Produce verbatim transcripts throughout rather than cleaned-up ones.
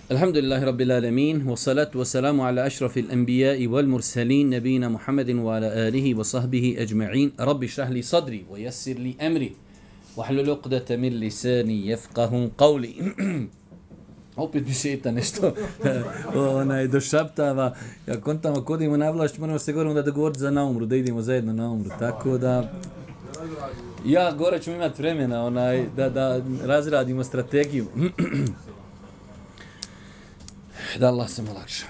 Alhamdulillahi Rabbil Alamin, wa salatu wa salamu ala ašrafil anbiya'i wal mursalin, nabina Muhammedin wa ala alihi wa sahbihi ajma'in. Rabbi šrah li sadri, wa yassir li amri, wa hlul uqdata min lisani yafqahu qawli. Opet mi šeta nešto, onaj, došaptava. Ja kontamo, kodimo na vlašć, moramo se govorimo da dogovoriti za naumru, da idemo zajedno na umru. Tako da, ja gore ćemo imati vremena, onaj, da, da razradimo strategiju. Da Allah se olakša.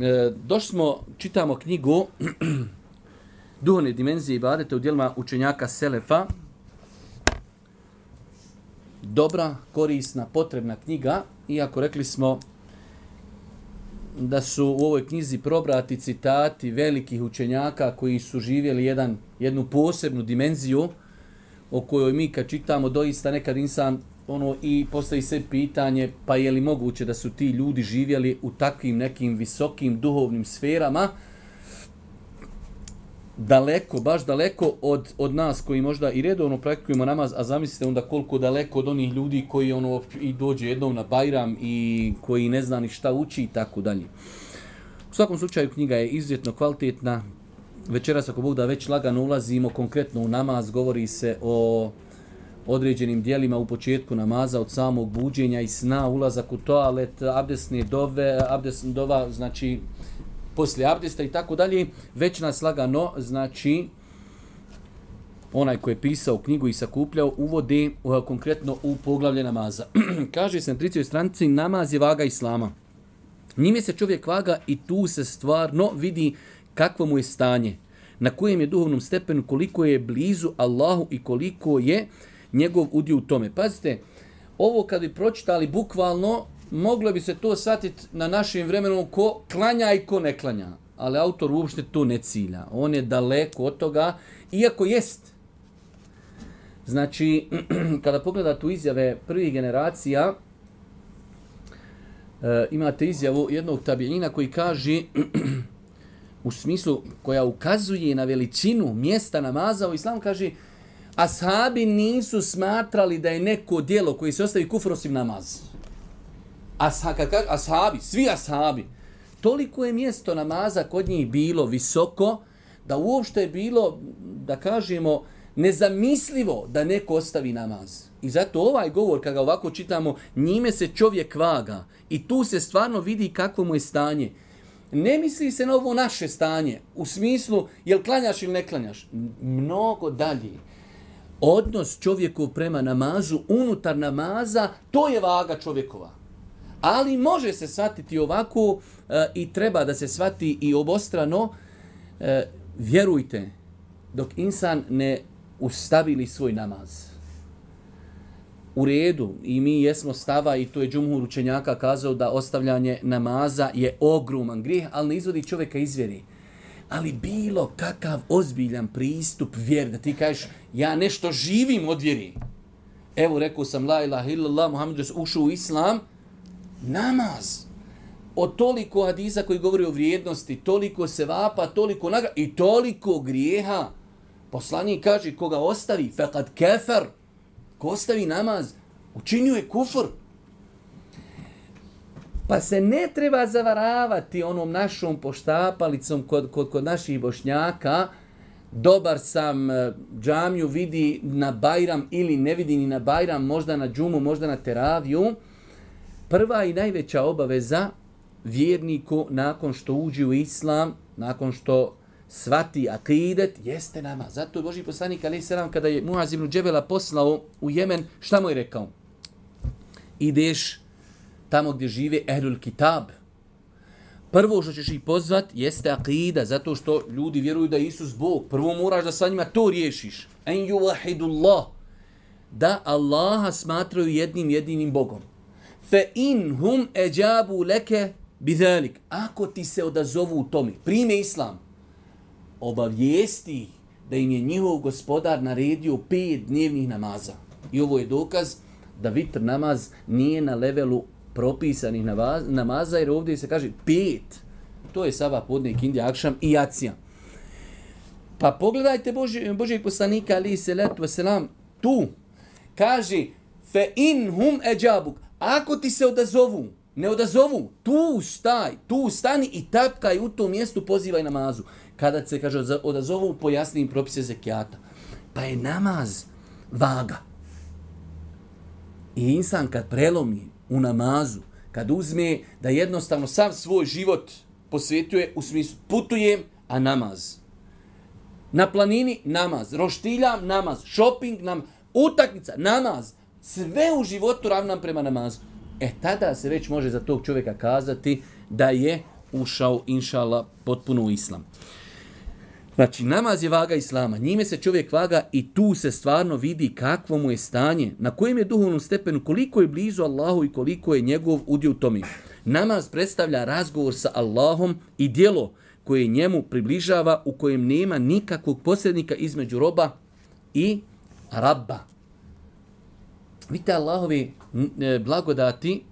E, došli smo, čitamo knjigu Duhovne dimenzije ibadeta u djelima učenjaka Selefa. Dobra, korisna, potrebna knjiga, iako rekli smo da su u ovoj knjizi probrati citati velikih učenjaka koji su živjeli jedan, jednu posebnu dimenziju o kojoj mi kad čitamo doista nekad insan ono i postavi se pitanje pa je li moguće da su ti ljudi živjeli u takvim nekim visokim duhovnim sferama daleko, baš daleko od, od nas koji možda i redovno praktikujemo namaz, a zamislite onda koliko daleko od onih ljudi koji ono i dođe jednom na Bajram i koji ne zna ni šta uči i tako dalje. U svakom slučaju knjiga je izuzetno kvalitetna. Večeras ako Bog da već lagano ulazimo konkretno u namaz, govori se o određenim dijelima u početku namaza, od samog buđenja i sna, ulazak u toalet, abdesne dove, abdesne dova, znači poslije abdesta i tako dalje. Već nas lagano, znači onaj koji je pisao knjigu i sakupljao, uvode uh, konkretno u poglavlje namaza. Kaže se na tridesetoj stranici, namaz je vaga islama. Njime se čovjek vaga i tu se stvarno vidi kakvo mu je stanje, na kojem je duhovnom stepenu, koliko je blizu Allahu i koliko je njegov udio u tome. Pazite, ovo kad bi pročitali bukvalno, moglo bi se to shvatiti na našem vremenu ko klanja i ko ne klanja. Ali autor uopšte to ne cilja. On je daleko od toga, iako jest. Znači, kada pogledate u izjave prvih generacija, e, imate izjavu jednog tabiina koji kaže u smislu koja ukazuje na veličinu mjesta namaza u islamu, kaže ashabi nisu smatrali da je neko djelo koji se ostavi kufr osim namaz. Asha, kad kaže ashabi, svi ashabi, toliko je mjesto namaza kod njih bilo visoko da uopšte je bilo, da kažemo, nezamislivo da neko ostavi namaz. I zato ovaj govor, kada ga ovako čitamo, njime se čovjek vaga i tu se stvarno vidi kakvo mu je stanje. Ne misli se na ovo naše stanje, u smislu jel klanjaš ili ne klanjaš. Mnogo dalje. Odnos čovjekov prema namazu, unutar namaza, to je vaga čovjekova. Ali može se shvatiti ovako e, i treba da se shvati i obostrano. E, vjerujte, dok insan ne ustabili svoj namaz. U redu, i mi jesmo stava, i to je džumhur učenjaka kazao da ostavljanje namaza je ogroman grijeh, ali ne izvodi čovjeka iz vjeri. Ali bilo kakav ozbiljan pristup vjeri, da ti kažeš ja nešto živim od vjeri. Evo rekao sam la ilaha illallah, Muhammed ušao u islam, namaz. Od toliko hadisa koji govori o vrijednosti, toliko sevapa, toliko nagrada i toliko grijeha. Poslanik kaže koga ostavi, fekad kefer, ko ostavi namaz, učinio je kufr. Pa se ne treba zavaravati onom našom poštapalicom kod, kod, kod naših Bošnjaka. Dobar sam, džamiju vidi na Bajram ili ne vidi ni na Bajram, možda na džumu, možda na teraviju. Prva i najveća obaveza vjerniku nakon što uđe u islam, nakon što svati akidet, jeste namaz. Zato je Božji poslanik alejhi selam kada je Muaz ibn Džebela poslao u Jemen, šta mu je rekao? Ideš tamo gdje žive ehlul kitab. Prvo što ćeš ih pozvat jeste akida, zato što ljudi vjeruju da je Isus Bog. Prvo moraš da sa njima to riješiš. En yuvahidullah. Da Allaha smatraju jednim jedinim Bogom. Fe in hum eđabu leke bidhalik. Ako ti se odazovu u tome, prime islam, obavijesti da im je njihov gospodar naredio pet dnevnih namaza. I ovo je dokaz da vitr namaz nije na levelu propisanih namaza, jer ovdje se kaže pet. To je sabah, podne, ikindi, akšam i jacija. Pa pogledajte Boži, Božijeg poslanika, alejhi selatu vesselam, tu kaže fe in hum eđabuk, ako ti se odazovu, ne odazovu. Tu staj, tu stani i tapkaj u tom mjestu, pozivaj namazu. Kada se, kaže, odazovu, pojasni im propise zekijata. Pa je namaz vaga. I insan kad prelomi u namazu, kad uzme da jednostavno sav svoj život posvetuje, u smislu putujem, a namaz. Na planini, namaz. Roštiljam, namaz. Shopping, namaz. Utakmica, namaz. Sve u životu ravnam prema namazu. E tada se već može za tog čovjeka kazati da je ušao, inšala, potpuno u islam. Znači, namaz je vaga islama. Njime se čovjek vaga i tu se stvarno vidi kakvo mu je stanje, na kojem je duhovnom stepenu, koliko je blizu Allahu i koliko je njegov udio u tome. Namaz predstavlja razgovor sa Allahom i djelo koje njemu približava, u kojem nema nikakvog posrednika između roba i rabba. Vidite Allahovi blagodati,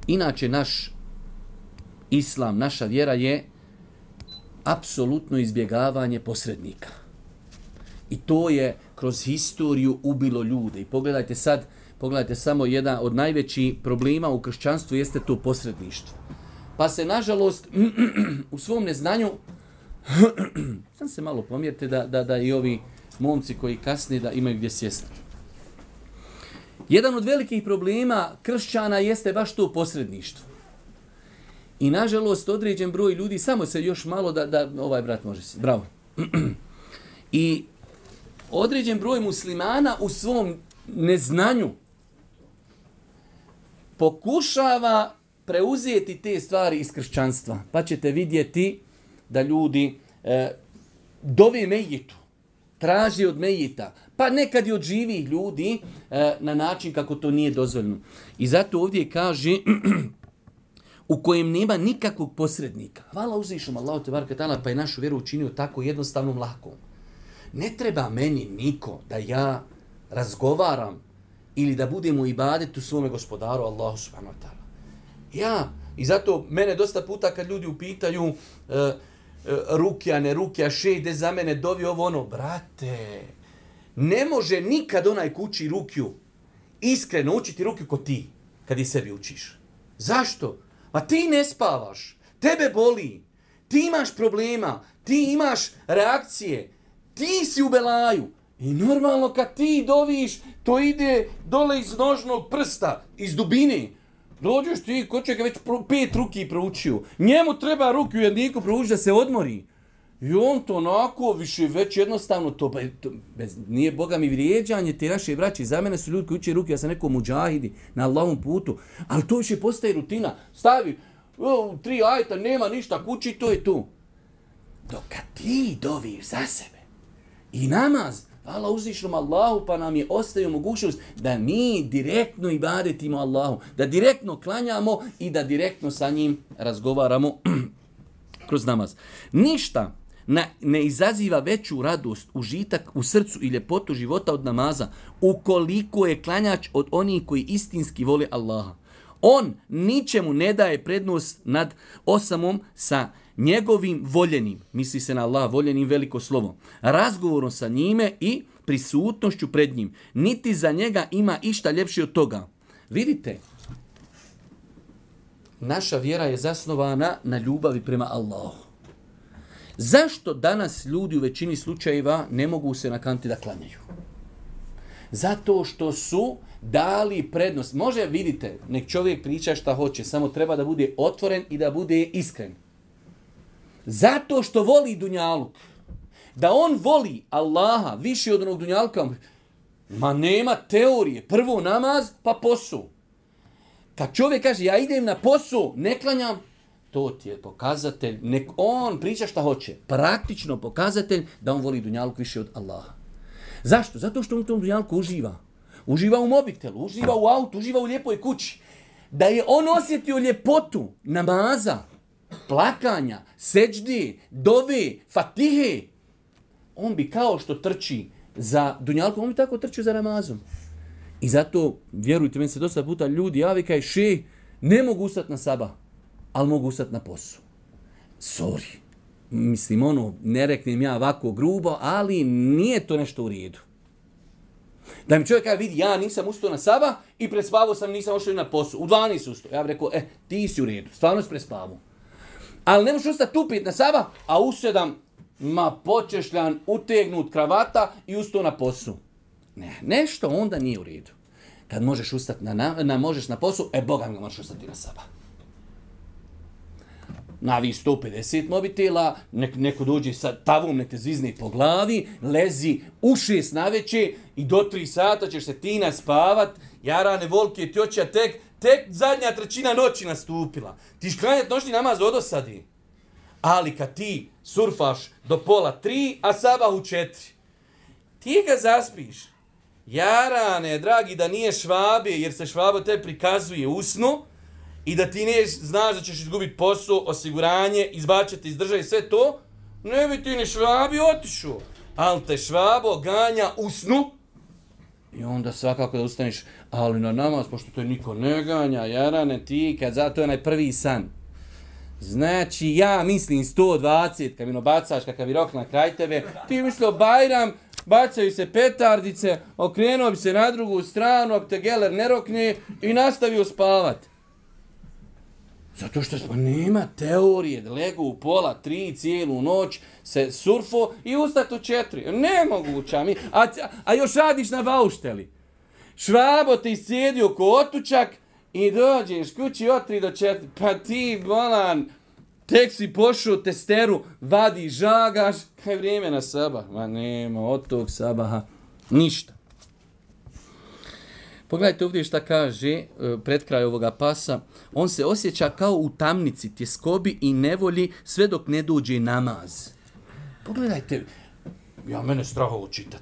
inače naš islam, naša vjera je apsolutno izbjegavanje posrednika. I to je kroz historiju ubilo ljude. I pogledajte sad, pogledajte samo jedan od najvećih problema u kršćanstvu jeste to posredništvo. Pa se, nažalost, u svom neznanju, sam se malo pomjerite da, da, da i ovi momci koji kasnije da imaju gdje sjesti. Jedan od velikih problema kršćana jeste baš to posredništvo. I nažalost određen broj ljudi, samo se još malo da, da ovaj brat može si, bravo. I određen broj muslimana u svom neznanju pokušava preuzeti te stvari iz kršćanstva. Pa ćete vidjeti da ljudi e, dove mejitu, traži od mejita, pa nekad i od živih ljudi e, na način kako to nije dozvoljeno. I zato ovdje kaže u kojem nema nikakvog posrednika. Hvala uzvišom Allahu te bareke taala, pa je našu vjeru učinio tako jednostavnom, lakom. Ne treba meni niko da ja razgovaram ili da budem u ibadetu svome gospodaru Allahu subhanahu wa ta'ala. Ja, i zato mene dosta puta kad ljudi upitaju uh, uh, rukja, ne rukja, šejde za mene, dovi ovo ono, brate, ne može nikad onaj ko uči rukju iskreno učiti rukju ko ti, kad i sebi učiš. Zašto? Ma ti ne spavaš, tebe boli, ti imaš problema, ti imaš reakcije, ti si u belaju. I normalno kad ti doviš, to ide dole iz nožnog prsta, iz dubine. Dođeš ti, ko čeka već pet ruki proučio. Njemu treba ruku jedniku proučiti da se odmori. I on to onako više već jednostavno, to, to bez, nije Boga mi vrijeđanje te naše braće. Za mene su ljudi koji uče ruke, ja sam neko muđahidi na Allahovom putu. Ali to više postaje rutina. Stavi o, tri ajta, nema ništa kući, to je tu. Dok kad ti doviš za sebe i namaz, hvala uzvišnom Allahu, pa nam je ostavio mogućnost da mi direktno ibadetimo Allahu, da direktno klanjamo i da direktno sa njim razgovaramo kroz namaz. Ništa ne, ne izaziva veću radost, užitak u srcu i ljepotu života od namaza, ukoliko je klanjač od onih koji istinski vole Allaha. On ničemu ne daje prednost nad osamom sa njegovim voljenim, misli se na Allah, voljenim veliko slovo, razgovorom sa njime i prisutnošću pred njim. Niti za njega ima išta ljepše od toga. Vidite, naša vjera je zasnovana na ljubavi prema Allahu. Zašto danas ljudi u većini slučajeva ne mogu se nakanti da klanjaju? Zato što su dali prednost. Može, vidite, nek čovjek priča šta hoće, samo treba da bude otvoren i da bude iskren. Zato što voli dunjaluk. Da on voli Allaha više od onog dunjaluka, ma nema teorije. Prvo namaz, pa posao. Kad čovjek kaže, ja idem na posao, ne klanjam, to ti je pokazatelj, nek on priča šta hoće. Praktično pokazatelj da on voli dunjaluk više od Allaha. Zašto? Zato što on u tom dunjalku uživa. Uživa u mobitelu, uživa u autu, uživa u lijepoj kući. Da je on osjetio ljepotu namaza, plakanja, seđdi, dove, fatihe, on bi kao što trči za dunjalkom, on bi tako trčio za namazom. I zato, vjerujte, meni se dosta puta ljudi javi kaj še, ne mogu ustati na sabah, ali mogu ustati na posao. Sorry. Mislim, ono, ne reknem ja ovako grubo, ali nije to nešto u redu. Da mi čovjek kaže, vidi, ja nisam ustao na sabah i prespavao sam, nisam ošao na posao. U dvanaest ustao. Ja bih rekao, e, ti si u redu, stvarno si prespavao. Ali ne možeš ustati u pet na sabah, a u sedam, ma počešljan, utegnut kravata i ustao na posao. Ne, nešto onda nije u redu. Kad možeš ustati na, na, na, možeš na posao, e, Boga mi možeš ustati na sabah. Navi sto pedeset mobitela, nek, neko dođe sa tavom, nek te zvizne po glavi, lezi u šest naveče i do tri sata ćeš se ti naspavat, jarane volke, tjoća tek, tek zadnja trećina noći nastupila. Ti šklanjat noćni namaz od osadi. Ali kad ti surfaš do pola tri, a sabah u četiri, ti ga zaspiš. Jarane, dragi, da nije švabe, jer se švaba te prikazuje u snu, i da ti ne znaš da ćeš izgubiti posao, osiguranje, izbačati iz države, sve to, ne bi ti ni švabi otišao. Ali te švabo ganja u snu i onda svakako da ustaneš, ali na namaz, pošto to niko ne ganja, jarane, ti, kad zato je onaj prvi san. Znači, ja mislim sto dvadeset, kad mi nobacaš, kakav je rok na kraj tebe, ti mislio Bajram, bacaju se petardice, okrenuo bi se na drugu stranu, ako te geler ne rokne i nastavio spavat. Zato što smo, nema teorije da legu u pola, tri, cijelu noć, se surfo i ustati u četiri. Nemoguća mi. A, a još radiš na baušteli. Švabo te iscijedio ko otučak i dođeš kući od tri do četiri. Pa ti, bolan, tek si pošao testeru, vadi, žagaš. Kaj vrijeme na sabah? Ma nema od tog sabaha ništa. Pogledajte ovdje šta kaže pred kraj ovoga pasa. On se osjeća kao u tamnici, tjeskobi i nevolji sve dok ne dođe namaz. Pogledajte, ja mene strahovo čitat.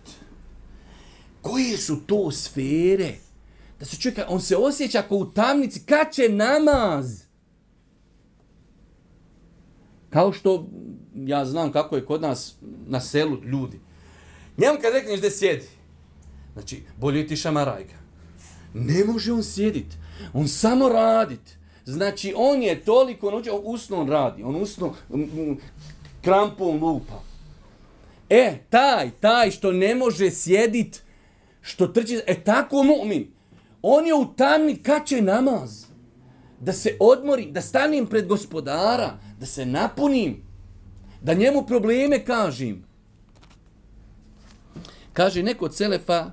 Koje su to sfere? Da se čovjek, on se osjeća kao u tamnici, kad će namaz? Kao što, ja znam kako je kod nas na selu ljudi. Njemu kad rekneš da sjedi, znači, bolje ti šamarajka. Ne može on sjediti, on samo radit. Znači, on je toliko naučio, on usno on radi, on usno krampom lupa. E, taj, taj što ne može sjedit, što trči, e tako mu'min. On je u tamni, kad će namaz? Da se odmori, da stanem pred gospodara, da se napunim, da njemu probleme kažem. Kaže neko od selefa,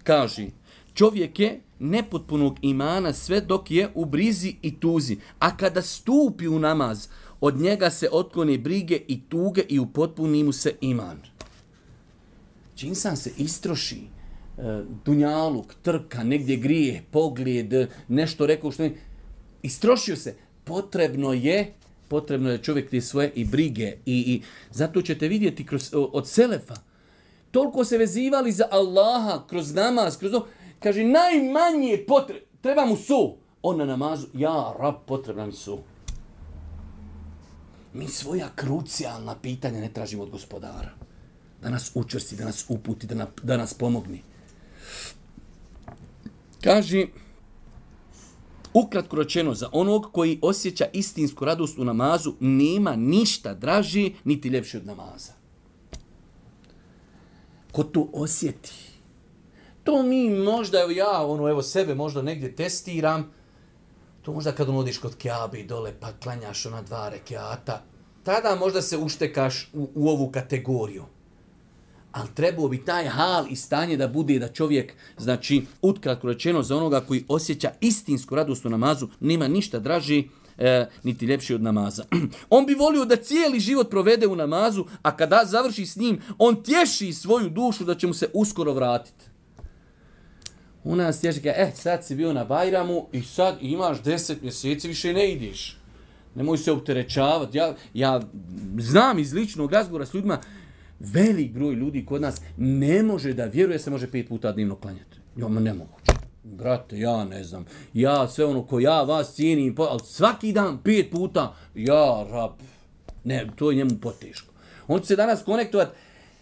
kaže, čovjek je nepotpunog imana sve dok je u brizi i tuzi, a kada stupi u namaz, od njega se otklone brige i tuge i upotpuni mu se iman. Či insan se istroši, dunjaluk, trka, negdje grije, pogled, nešto rekao što ne, istrošio se, potrebno je, potrebno je čovjek te svoje i brige i, i zato ćete vidjeti kroz, od selefa, toliko se vezivali za Allaha kroz namaz, kroz ovo, kaže, najmanje potre... treba mu su. On na namazu, ja, rab, potrebna mi su. Mi svoja krucijalna pitanja ne tražimo od gospodara. Da nas učvrsti, da nas uputi, da, na, da nas pomogni. Kaže, ukratko rečeno, za onog koji osjeća istinsku radost u namazu, nema ništa draži, niti ljepši od namaza. Ko to osjeti, to mi možda, evo ja, ono, evo sebe možda negdje testiram, to možda kad odiš kod Kjabe i dole pa klanjaš ona dva rekiata, tada možda se uštekaš u, u ovu kategoriju. Ali trebao bi taj hal i stanje da bude da čovjek, znači, ukratko rečeno, za onoga koji osjeća istinsku radost u namazu, nema ništa draži, e, niti ljepši od namaza. On bi volio da cijeli život provede u namazu, a kada završi s njim, on tješi svoju dušu da će mu se uskoro vratiti. U nas tješi kao, eh, sad si bio na Bajramu i sad imaš deset mjeseci, više ne ideš. Nemoj se opterećavati. Ja, ja znam iz ličnog razgovora s ljudima, velik broj ljudi kod nas ne može da vjeruje se može pet puta dnevno klanjati. Ja, ma nemoguće. Brate, ja ne znam. Ja sve ono ko ja vas cijenim, ali svaki dan pet puta, ja, rab, ne, to je njemu poteško. On će se danas konektovati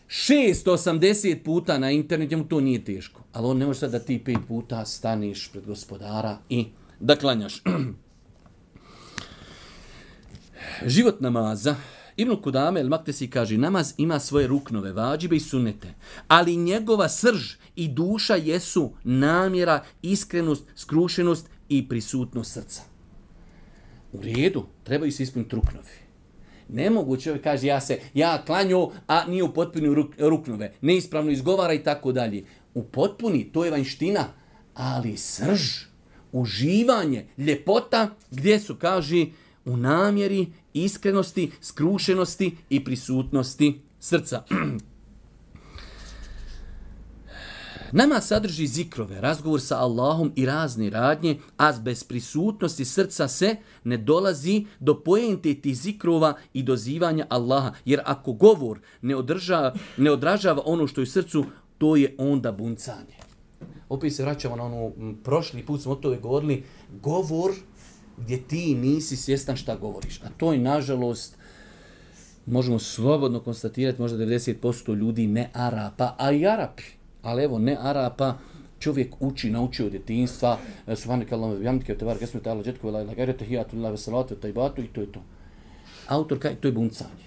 šesto osamdeset puta na internet, njemu to nije teško. Ali on ne može sad da ti pet puta staniš pred gospodara i da klanjaš. Život namaza Ibn Kudame el-Maktesi kaže, namaz ima svoje ruknove, vađibe i sunnete, ali njegova srž i duša jesu namjera, iskrenost, skrušenost i prisutnost srca. U redu, trebaju se ispuniti ruknovi. Ne mogu čovjek kaže, ja se, ja klanju, a nije u potpuni ruk, ruknove, neispravno izgovara i tako dalje. U potpuni, to je vanjština, ali srž, uživanje, ljepota, gdje su, kaže, u namjeri, iskrenosti, skrušenosti i prisutnosti srca. Nama sadrži zikrove, razgovor sa Allahom i razne radnje, a bez prisutnosti srca se ne dolazi do poente tih zikrova i dozivanja Allaha. Jer ako govor ne, održa, ne odražava ono što je u srcu, to je onda buncanje. Opet se vraćamo na ono, prošli put smo o tome govorili, govor gdje ti nisi svjestan šta govoriš. A to je, nažalost, možemo slobodno konstatirati, možda devedeset posto ljudi ne Arapa, a i Arapi. Ali evo, ne Arapa, čovjek uči, nauči od djetinjstva, subhanakallahu bihamdike wa tabaraka ismuka ta'ala jadduhu la ilaha illa anta tahiyatullahi wa salatu wa tayyibatu i to je to. Autor kaže, to je buncanje.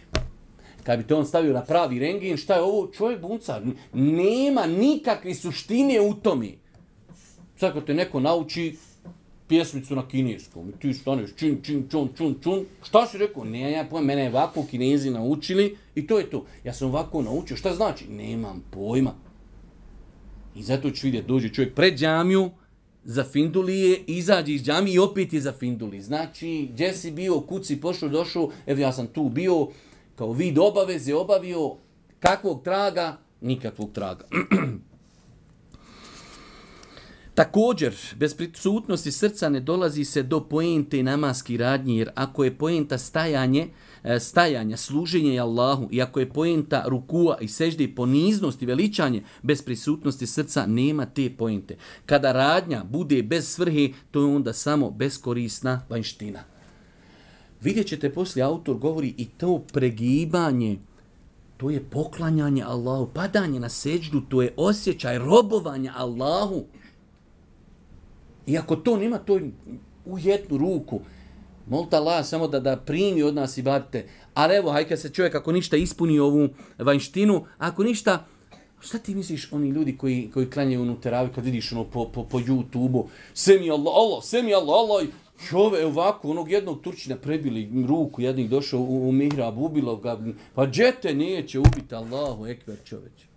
Kad bi to on stavio na pravi rengin, šta je ovo? Čovjek bunca. Nema nikakve suštine u tome. Sad kad te neko nauči pjesmicu na kineskom, ti staneš čin, čin, čun, čun, čun, šta si rekao? Ne, ja pojma, mene je ovako Kinezi naučili i to je to. Ja sam ovako naučio, šta znači? Nemam pojma. I zato ću vidjeti, dođe čovjek pred džamiju, za findulije, izađe iz džamije i opet je za finduli. Znači, gdje si bio, kud si pošao, došao, evo ja sam tu bio, kao vid obaveze obavio, kakvog traga? Nikakvog traga. Također, bez prisutnosti srca ne dolazi se do poente namaski radnje, jer ako je poenta stajanje, stajanja, služenje Allahu, i ako je poenta rukua i sežde i poniznost i veličanje, bez prisutnosti srca nema te poente. Kada radnja bude bez svrhe, to je onda samo beskorisna vanjština. Vidjet ćete, poslije autor govori i to pregibanje, to je poklanjanje Allahu, padanje na seđdu, to je osjećaj robovanja Allahu. I ako to nema, to je u jednu ruku. Molite Allah samo da, da primi od nas ibadete. Ali evo, hajde kad se čovjek ako ništa ispuni ovu vanjštinu, ako ništa, šta ti misliš oni ljudi koji, koji klanjaju onu teraviju kad vidiš ono po, po, po YouTube-u, sve mi Allah, Allah, sve mi Allah, Allah, čove ovako, onog jednog Turčina prebili ruku, jednih došao u, u mihrab, ubilo ga, pa džete neće ubiti, Allahu ekber čoveč.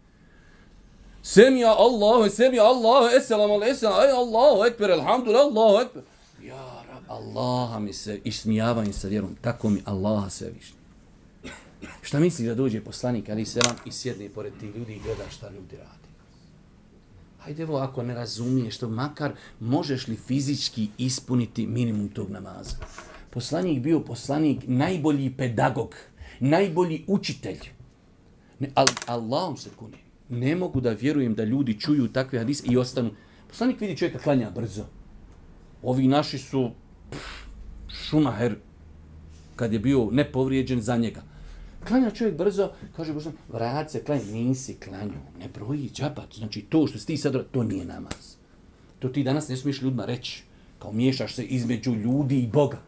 Semija Allahu, semija Allahu, eselamu alaikum, aj Allahu ekber, alhamdulillah, Allahu ekber. Ja Rab, Allaha mi se, ismijavam sa vjerom, tako mi Allaha svevišnji. Šta misliš da dođe poslanik, ali selam, i sjedne pored tih ljudi i gleda šta ljudi radi? Hajde evo, ako ne razumiješ to, makar možeš li fizički ispuniti minimum tog namaza? Poslanik bio poslanik, najbolji pedagog, najbolji učitelj. Ne, al, Allahom se kuni. Ne mogu da vjerujem da ljudi čuju takve hadise i ostanu. Poslanik vidi čovjeka klanja brzo. Ovi naši su pff, Šumaher, kad je bio nepovrijeđen za njega. Klanja čovjek brzo, kaže Božan, vrat se, klanja, nisi klanju, ne broji džapat. Znači to što si ti sad, to nije namaz. To ti danas ne smiješ ljudima reći, kao miješaš se između ljudi i Boga.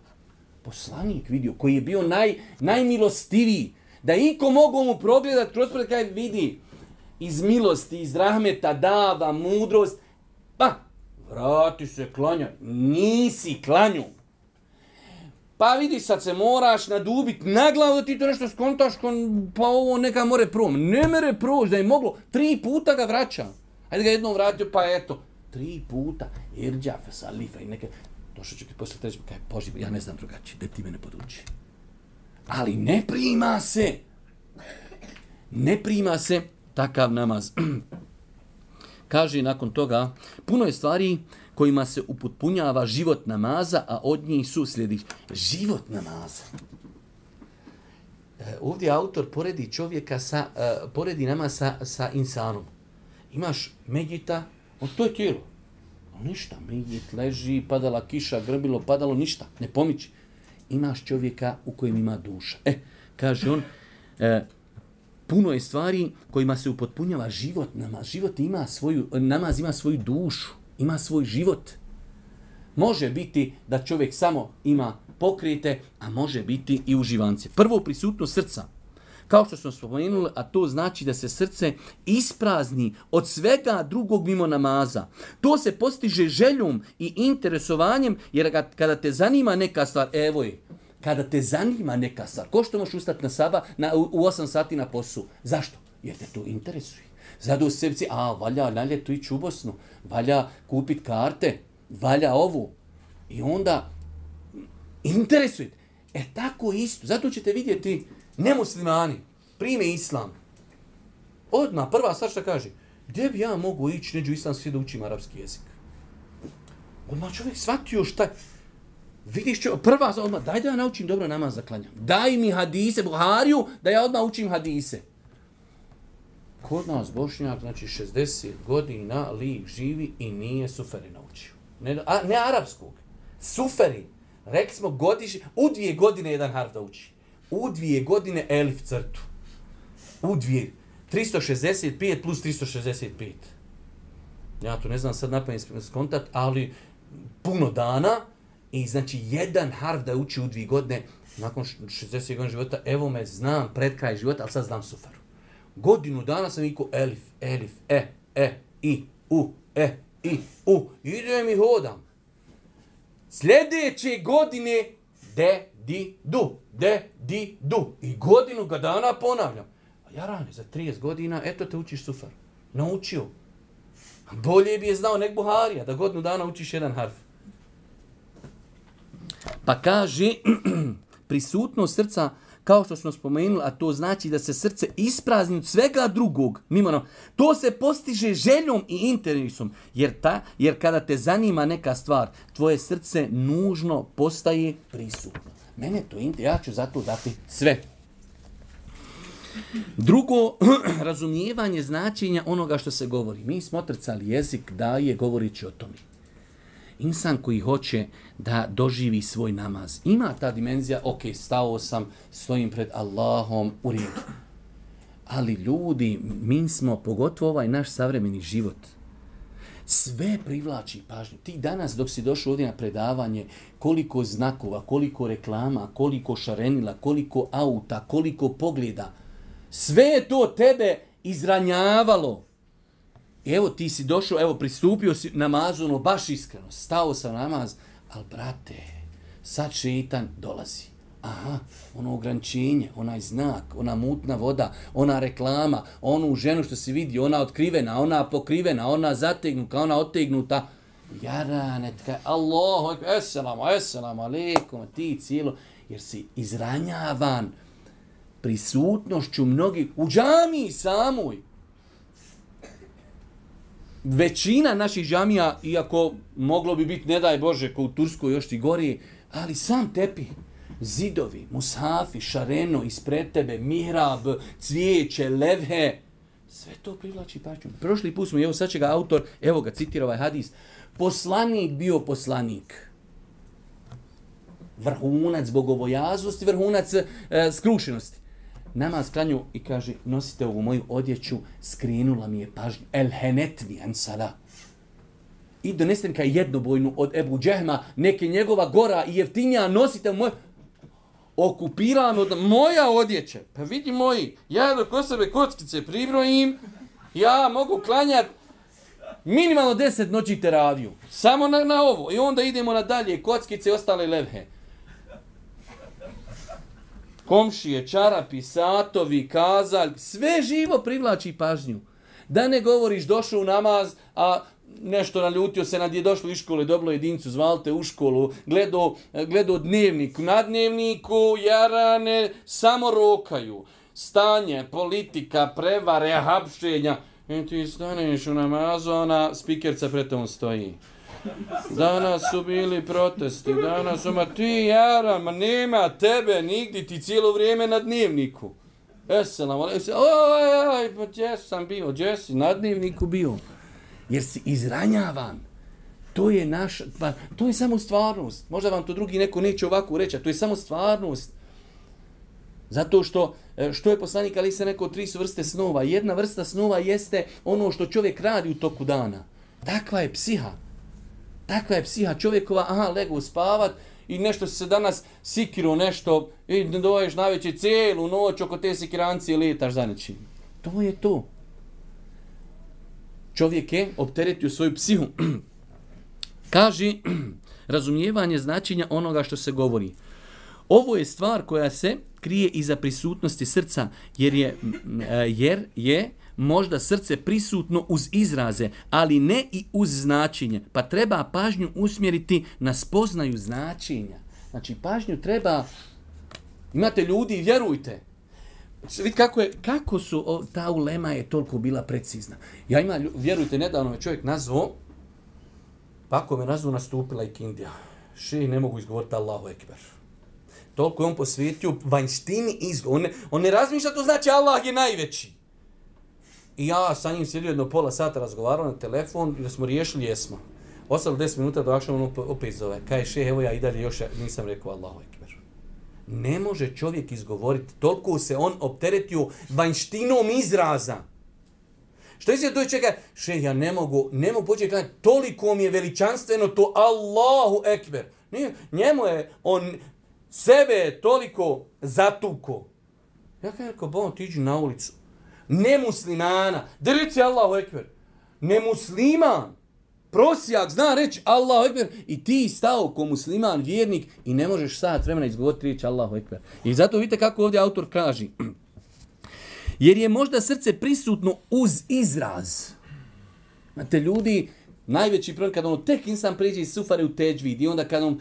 Poslanik vidio, koji je bio naj, najmilostiviji, da iko mogu mu progledat kroz pred kaj vidi, iz milosti, iz rahmeta, dava, mudrost, pa, vrati se, klanja, nisi klanju. Pa vidi, sad se moraš nadubit na glavu da ti to nešto skontaš, pa ovo neka more prom. Ne mere proći, da je moglo, tri puta ga vraća. Hajde ga jednom vratio, pa eto, tri puta, irđa, fesalifa i neke, došao ću ti posle treći, kaj, Boži, ja ne znam drugačije, da ti mene poduči. Ali ne prima se, ne prima se takav namaz. Kaže nakon toga, puno je stvari kojima se upotpunjava život namaza, a od njih su sljedeći. Život namaza. E, ovdje autor poredi čovjeka sa, e, poredi namaz sa, sa insanom. Imaš medjita, on to je tijelo. Ništa, medjit leži, padala kiša, grbilo, padalo, ništa, ne pomiči. Imaš čovjeka u kojem ima duša. E, kaže on, e, puno je stvari kojima se upotpunjava život namaz. Život ima svoju, namaz ima svoju dušu, ima svoj život. Može biti da čovjek samo ima pokrete, a može biti i uživance. Prvo, prisutnost srca. Kao što smo spomenuli, a to znači da se srce isprazni od svega drugog mimo namaza. To se postiže željom i interesovanjem, jer kada te zanima neka stvar, evo je, kada te zanima neka stvar, ko što možeš ustati na saba na, u, u osam sati na poslu? Zašto? Jer te to interesuje. Zato u sebi, a valja na ljetu ići u Bosnu, valja kupiti karte, valja ovu. I onda interesuje. E tako isto. Zato ćete vidjeti nemuslimani prime islam. Odmah, prva stvar što kaže, gdje bi ja mogu ići neđu islamski da učim arapski jezik? Odmah čovjek shvatio šta. Vidiš čo, prva stvar, odmah, daj da ja naučim dobro namaz da klanjam. Daj mi hadise, Buhariju, da ja odmah učim hadise. Kod nas Bošnjak, znači šezdeset godina lik živi i nije suferi naučio. Ne, a, ne arapskog. Suferi. Rekli smo godiš, u dvije godine jedan harf da uči. U dvije godine elif crtu. U dvije. tristo šezdeset pet plus tristo šezdeset pet. Ja to ne znam sad napamet skontat, ali puno dana i znači jedan harf da uči u dvije godine nakon šezdeset godina života, evo me znam pred kraj života, ali sad znam suferu. Godinu dana sam ikao elif, elif, e, e, i, u, e, i, u. Idem i hodam. Sljedeće godine de, di, du, de, di, du. I godinu ga dana ponavljam. A ja rane, za trideset godina, eto te učiš sufar. Naučio. Bolje bi je znao nek Buharija, da godinu dana učiš jedan harf. Pa kaže, prisutnost srca, kao što smo spomenuli, a to znači da se srce isprazni od svega drugog, mimo nam, to se postiže željom i interesom, jer, ta, jer kada te zanima neka stvar, tvoje srce nužno postaje prisutno. Mene to interesuje, ja ću zato dati sve. Drugo, razumijevanje značenja onoga što se govori. Mi smo otrcali jezik daje govorići o tome. Insan koji hoće da doživi svoj namaz. Ima ta dimenzija, ok, stao sam, stojim pred Allahom u redu. Ali ljudi, mi smo, pogotovo ovaj naš savremeni život, sve privlači pažnju. Ti danas dok si došao ovdje na predavanje, koliko znakova, koliko reklama, koliko šarenila, koliko auta, koliko pogleda, sve je to tebe izranjavalo. Evo ti si došao, evo pristupio si namazu, ono baš iskreno, stao sam namaz, ali brate, sad šeitan dolazi. Aha, ono ograničenje, onaj znak, ona mutna voda, ona reklama, onu ženu što si vidi, ona otkrivena, ona pokrivena, ona zategnuta, ona otegnuta. Jarane, tkaj, Allahu, eselamu, eselamu, alaikum, ti cijelo, jer si izranjavan prisutnošću mnogih u džamiji samoj. Većina naših džamija, iako moglo bi biti, ne daj Bože, ko u Turskoj još ti gori, ali sam tepi, zidovi, mushafi, šareno, ispred tebe, mihrab, cvijeće, levhe, sve to privlači pažnju. Prošli put smo, evo sad će ga autor, evo ga citira ovaj hadis, poslanik bio poslanik. Vrhunac bogobojaznosti, vrhunac e, skrušenosti. Namaz klanju i kaže, nosite ovu moju odjeću, skrenula mi je pažnju. El henetvi ansala. I donesite mi kaj jednobojnu od Ebu Džehma, neke njegova gora i jeftinija, nosite moju. Okupirala me od moja odjeća. Pa vidi moji, ja dok o sebe kockice pribrojim, ja mogu klanjati minimalno deset noći teraviju. Samo na, na ovo. I onda idemo na dalje, kockice i ostale levhe. Komšije, čarapi, satovi, kazalj, sve živo privlači pažnju. Da ne govoriš došao u namaz, a nešto naljutio se nad je došlo iz škole, dobilo jedincu, zvali te u školu, gledao, gledao dnevnik. Na dnevniku jarane samo rokaju. Stanje, politika, prevare, hapšenja. I ti staneš u namazu, ona spikerca pred tom stoji. Danas su bili protesti, danas su, ma ti jara, ma nema tebe nigdje, ti cijelo vrijeme na dnevniku. Eselam, oj, oj, pa gdje sam bio, gdje si na dnevniku bio? Jer si izranjavan. To je naš, pa to je samo stvarnost. Možda vam to drugi neko neće ovako reći, a to je samo stvarnost. Zato što, što je poslanik ali se rekao, tri su vrste snova. Jedna vrsta snova jeste ono što čovjek radi u toku dana. Takva je psiha. Takva je psiha čovjekova, aha, legu spavat i nešto se danas sikiro nešto i ne doješ najveće cijelu noć oko te sikirancije letaš za nečim. To je to. Čovjek je opteretio svoju psihu. Kaže, razumijevanje značenja onoga što se govori. Ovo je stvar koja se krije iza prisutnosti srca, jer je, jer je možda srce prisutno uz izraze, ali ne i uz značenje. Pa treba pažnju usmjeriti na spoznaju značenja. Znači, pažnju treba... Imate ljudi, vjerujte. Vidite kako, je, kako su... O, ta ulema je toliko bila precizna. Ja ima, vjerujte, nedavno me čovjek nazvao, pa ako me nazvao, nastupila i Kindija. Še, ne mogu izgovoriti Allahu Ekber. Toliko je on posvetio vanjštini izgovor. On ne, on ne razmišlja, to znači Allah je najveći. I ja sa njim sjedio jedno pola sata razgovarao na telefon i da smo riješili, jesmo. Ostalo deset minuta došao on opet zove. Kaj še, evo ja i dalje još nisam rekao Allahu Ekber. Ne može čovjek izgovoriti. Toliko se on opteretio vanjštinom izraza. Što je se to čeka? Še, ja ne mogu, ne mogu početi gledati, toliko mi je veličanstveno to Allahu Ekber. Nije, njemu je, on sebe je toliko zatuko. Ja kaj rekao, bon, ti iđi na ulicu. Nemuslimana, da reci Allahu Ekber. Nemusliman, prosjak, zna reći Allahu Ekber i ti stao ko musliman, vjernik i ne možeš sat vremena izgovoriti riječ Allahu Ekber. I zato vidite kako ovdje autor kaže. Jer je možda srce prisutno uz izraz. Znate, ljudi, najveći problem kada ono tek insan priđe iz sufare u teđvid i onda kada on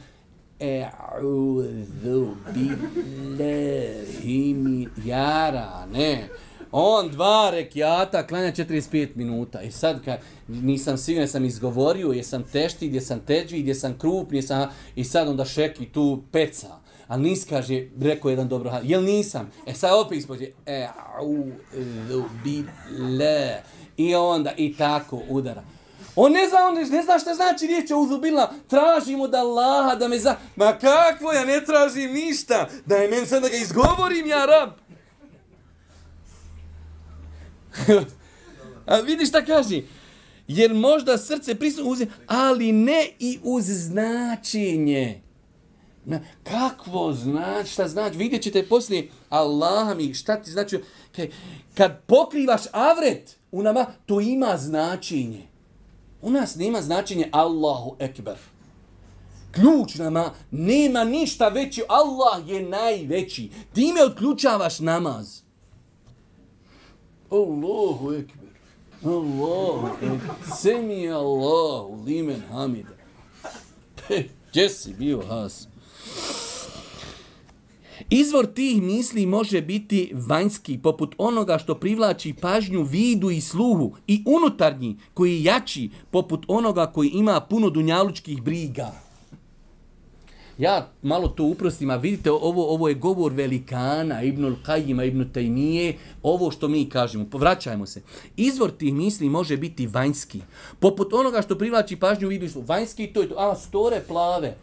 e'udhu billahi min jara, ne. On dva rekiata klanja četrdeset pet minuta. I sad kad nisam siguran, sam izgovorio, jesam teštid, jesam teđvid, jesam krupni, jesam... I sad onda šeki tu peca. Ali nis kaže, rekao jedan dobro, jel nisam? E sad opet ispođe, e'udhu billahi. I onda i tako udara. On ne zna, on ne zna šta znači riječ e'udhu billahi. Tražim od Allaha da me za... Ma kakvo, ja ne tražim ništa. Daj meni sad da ga izgovorim, ja rab. A vidiš šta kaže? Jer možda srce prisutno uz, ali ne i uz značenje. Na, kakvo znači, šta znači? Vidjet ćete poslije Allaha mi, šta ti znači? Kad pokrivaš avret u nama, to ima značenje. U nas nema značenje Allahu Ekber. Ključ nama, nema ništa veće, Allah je najveći. Time otključavaš namaz. Allahu Ekber. Allahu Ekber. Semi Allahu limen hamida. Gdje si bio, Has? Izvor tih misli može biti vanjski, poput onoga što privlači pažnju vidu i sluhu, i unutarnji, koji je jači, poput onoga koji ima puno dunjalučkih briga. Ja malo to uprostim, a vidite, ovo, ovo je govor velikana, Ibnul Qajima, Ibn Tajmije, ovo što mi kažemo, vraćajmo se. Izvor tih misli može biti vanjski, poput onoga što privlači pažnju vidu i sluhu. Vanjski to je to, a store plave.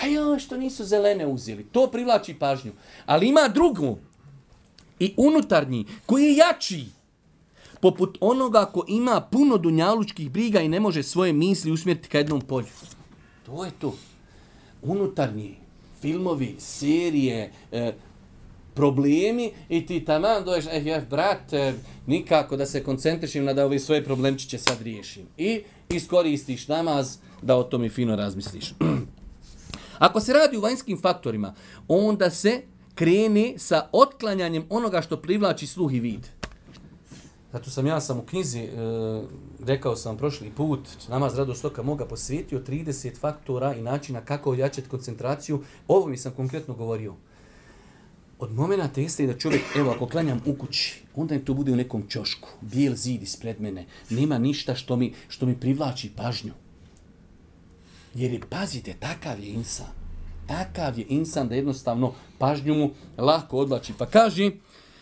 A joj, što nisu zelene uzeli. To privlači pažnju. Ali ima drugu. I unutarnji, koji je jači. Poput onoga ko ima puno dunjalučkih briga i ne može svoje misli usmjeriti ka jednom polju. To je to. Unutarnji, filmovi, serije, e, problemi i ti taman doješ, eh, eh, brat, eh, nikako da se koncentrišim na da ovi svoje problemčiće sad riješim. I iskoristiš namaz da o tome fino razmisliš. Ako se radi u vanjskim faktorima, onda se krene sa otklanjanjem onoga što privlači sluh i vid. Zato sam ja sam u knjizi, e, rekao sam prošli put, namaz radost oka moga posvetio trideset faktora i načina kako ojačati koncentraciju. Ovo mi sam konkretno govorio. Od momenta jeste da čovjek, evo ako klanjam u kući, onda im to bude u nekom ćošku, bijel zid ispred mene, nema ništa što mi, što mi privlači pažnju. Jer je, pazite, takav je insan. Takav je insan da jednostavno pažnju mu lako odvlači. Pa kaže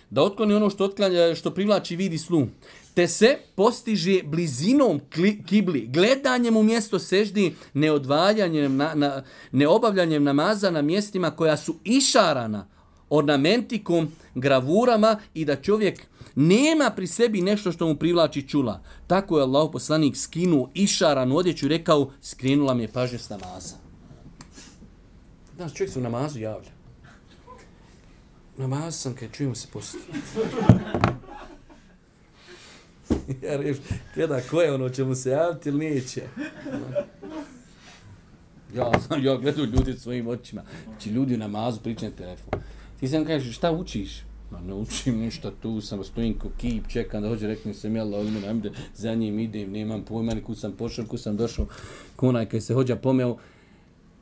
da otkloni ono što, otklanja, što privlači vid i sluh. Te se postiže blizinom kibli, gledanjem u mjesto seždi, neodvaljanjem, na, na, neobavljanjem namaza na mjestima koja su išarana ornamentikom, gravurama i da čovjek nema pri sebi nešto što mu privlači čula. Tako je Allahov poslanik skinuo išaranu odjeću i rekao, skrenula mi je pažnju s namaza. Danas čovjek se u namazu javlja. Namazu sam kad čujemo se poslije. Ja reš, gleda ko je ono, će mu se javiti ili neće. Ja znam, ja gledam ljudi svojim očima. Znači ljudi u namazu pričaju na telefon. Ti sam kažeš, šta učiš? Ma ne učim ništa tu, samo stojim ko kip, čekam da hođe, reknem sam, jel, ovdje nam ide, za njim idem, nemam pojma, ni kud sam pošao, kud sam došao, konaj kad se hođa pomeo,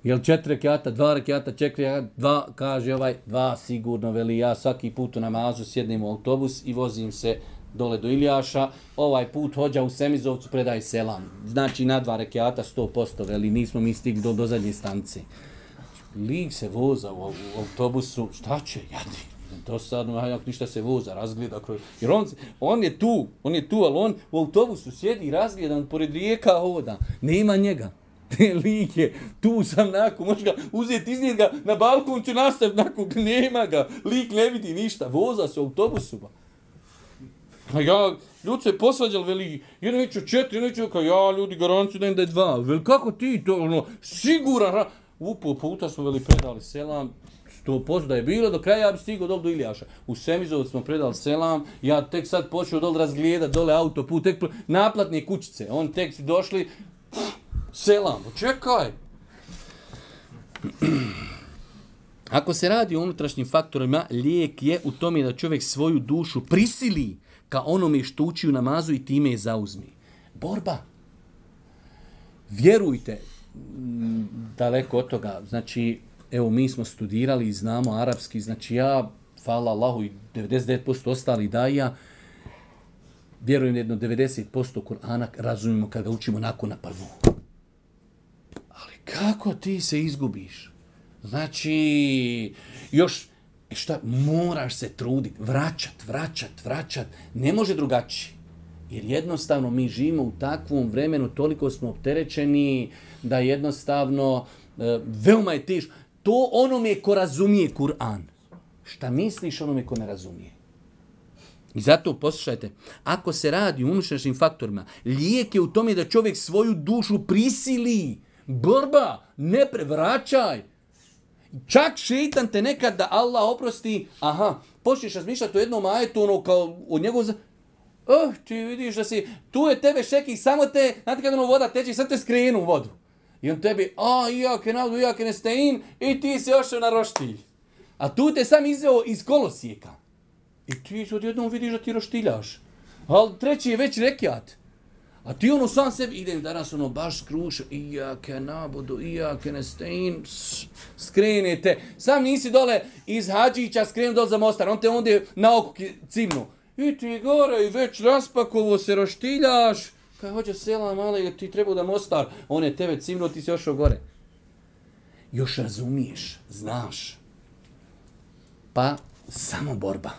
jel četiri rekiata, dva rekiata, četiri rekiata, dva, kaže ovaj, dva sigurno, veli ja svaki put u namazu sjednem u autobus i vozim se dole do Iljaša, ovaj put hođa u Semizovcu, predaj selam. Znači na dva rekiata sto posto, veli nismo mi stigli do, do zadnje stanice. Lik se voza u, u autobusu, šta će, jadi. Dosadno, a jak ništa se voza, razgleda kroz... Jer on, on je tu, on je tu, ali on u autobusu sjedi i razgleda, on pored rijeka hoda. Nema njega. Lik je, tu sam nakon, možeš ga uzeti, iznijeti ga na balkon, ću nastaviti nakon, nema ga. Lik ne vidi ništa, voza se u autobusu. Ba. A ja, ljudi se posvađali, veli, jedan neću četiri, jedan neću, kao ja, ljudi, garanciju da im da je dva. Veli, kako ti to, ono, siguran, upo puta smo veli predali selam, sto posto da je bilo, do kraja ja bi stigao dole do Iljaša. U Semizovac smo predali selam, ja tek sad počeo dole razgledat, dole autoput, tek naplatne kućice. On tek si došli, selam, čekaj. Ako se radi o unutrašnjim faktorima, lijek je u tome da čovjek svoju dušu prisili ka onome što uči u namazu i time je zauzmi. Borba. Vjerujte, daleko od toga, znači, evo, mi smo studirali i znamo arapski, znači ja, hvala Allahu i devedeset devet posto ostali daja, vjerujem jedno devedeset posto Kur'ana razumijemo kad ga učimo nakon na prvu. Ali kako ti se izgubiš? Znači, još, šta, moraš se truditi, vraćat, vraćat, vraćat, ne može drugačije. Jer jednostavno mi živimo u takvom vremenu, toliko smo opterećeni da jednostavno e, veoma je teško. To onome ko razumije Kur'an. Šta misliš onome ko ne razumije? I zato poslušajte, ako se radi o unutrašnjim faktorima, lijek je u tome da čovjek svoju dušu prisili. Borba, ne prevraćaj. Čak šeitan te nekad da Allah oprosti, aha, počneš razmišljati o jednom ajetu, ono kao od njegov... Oh, ti vidiš da si, tu je tebe šeki, samo te, znate kad ono voda teče, sad te skrenu u vodu. I on tebi, a, iake navdu, iake nestein, i ti si ošao na roštilj. A tu te sam izveo iz kolosijeka. I ti odjednom vidiš da ti roštiljaš. Ali treći je već rekiat. A ti ono sam sebi, idem danas ono baš skruš, iake nabudu, iake nestein, skrenete. Sam nisi dole iz Hadžića, skrenu dole za Mostar, on te ondje na oko cimnu. I ti gore i već raspakovo se roštiljaš. Kaj hoće selam, ali ti treba da Mostar, on je tebe cimno, ti si ošao gore. Još razumiješ, znaš. Pa samo borba.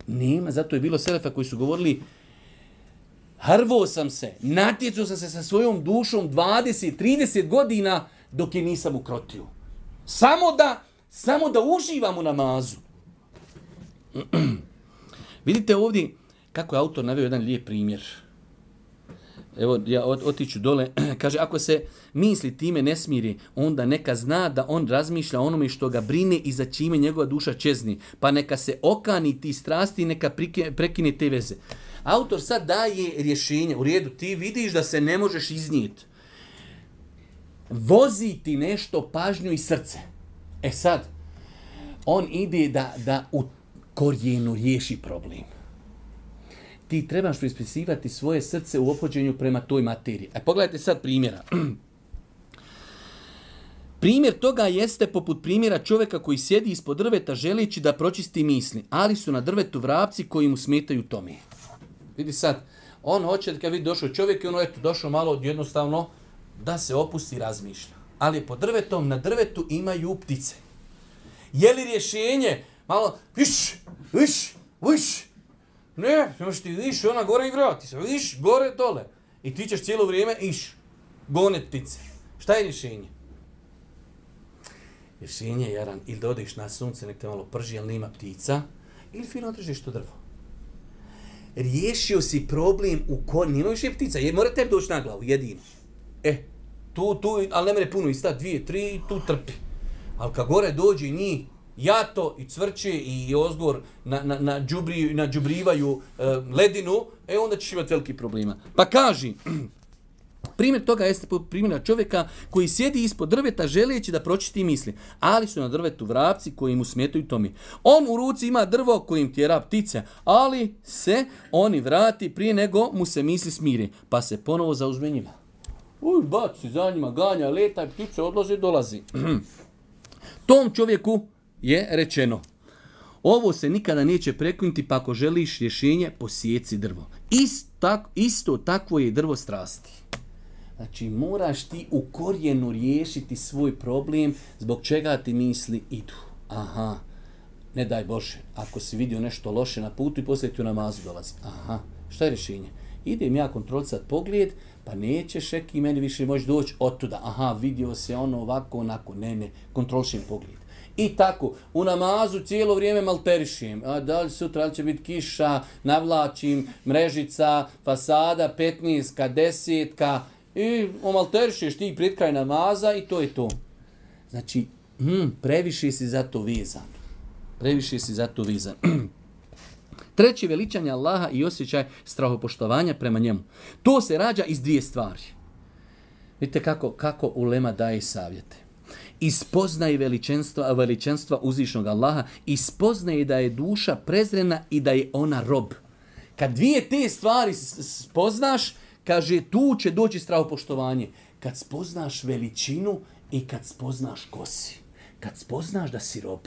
Nema, zato je bilo selefa koji su govorili, hrvo sam se, natjecao sam se sa svojom dušom dvadeset trideset godina dok je nisam ukrotio. Samo da, samo da uživam u namazu. Vidite ovdje kako je autor naveo jedan lijep primjer. Evo, ja otiću dole. Kaže, ako se misli time ne smiri, onda neka zna da on razmišlja onome što ga brine i za čime njegova duša čezni. Pa neka se okani ti strasti i neka prekine te veze. Autor sad daje rješenje. U redu, ti vidiš da se ne možeš iznijeti. Vozi ti nešto pažnju i srce. E sad, on ide da, da u korijenu riješi problem. Ti trebaš prispisivati svoje srce u ophođenju prema toj materiji. A pogledajte sad primjera. Primjer toga jeste poput primjera čovjeka koji sjedi ispod drveta želeći da pročisti misli, ali su na drvetu vrapci koji mu smetaju tome. Vidi sad, on hoće, kad vidi došao čovjek, ono je došao malo jednostavno da se opusti i razmišlja. Ali pod drvetom, na drvetu imaju ptice. Je li rješenje malo, viš, viš, viš, ne, imaš ti viš, ona gore i vrati se, viš, gore, dole. I ti ćeš cijelo vrijeme iš, gonet ptice. Šta je rješenje? Rješenje je, Jaran, ili da odeš na sunce, nek te malo prži, ali nema ptica, ili fino održiš to drvo. Riješio si problem u kojoj nema više ptica, jer mora tebi doći na glavu, jedino. E, tu, tu, ali ne mere puno ista, dvije, tri, tu trpi. Ali kad gore dođe njih, jato i cvrće i ozgor na, na, na, džubri, na džubrivaju uh, ledinu, e onda ćeš imati veliki problema. Pa kaži, primjer toga jeste primjera čovjeka koji sjedi ispod drveta želeći da pročisti misli, ali su na drvetu vrapci koji mu smetaju tome. On u ruci ima drvo kojim tjera ptice, ali se oni vrati prije nego mu se misli smire, pa se ponovo zauzme njima. Uj, baci za njima, ganja, leta, ptice odlaze, dolazi. Tom čovjeku je rečeno, ovo se nikada neće prekinuti, pa ako želiš rješenje, posjeci drvo. Isto, tak, isto takvo je drvo strasti. Znači, moraš ti u korijenu riješiti svoj problem zbog čega ti misli idu. Aha, ne daj Bože, ako si vidio nešto loše na putu i poslije ti u namazu dolazi. Aha, šta je rješenje? Idem ja kontrolisat pogled, pa neće šeki meni više moći doći od tuda. Aha, vidio se ono ovako, onako. Ne, ne, kontrolišem pogled. I tako, u namazu cijelo vrijeme malterišem. A da li sutra li će biti kiša, navlačim, mrežica, fasada, petnaestka, desetka. I omalterišeš ti pred kraj namaza i to je to. Znači, hm, previše si za to vezan. Previše si za to vezan. Treće, veličanje Allaha i osjećaj strahopoštovanja prema njemu. To se rađa iz dvije stvari. Vidite kako, kako ulema daje savjete. Ispoznaje veličanstva, veličanstva uzvišnog Allaha, ispoznaje da je duša prezrena i da je ona rob. Kad dvije te stvari spoznaš, kaže, tu će doći strahopoštovanje. Kad spoznaš veličinu i kad spoznaš ko si. Kad spoznaš da si rob.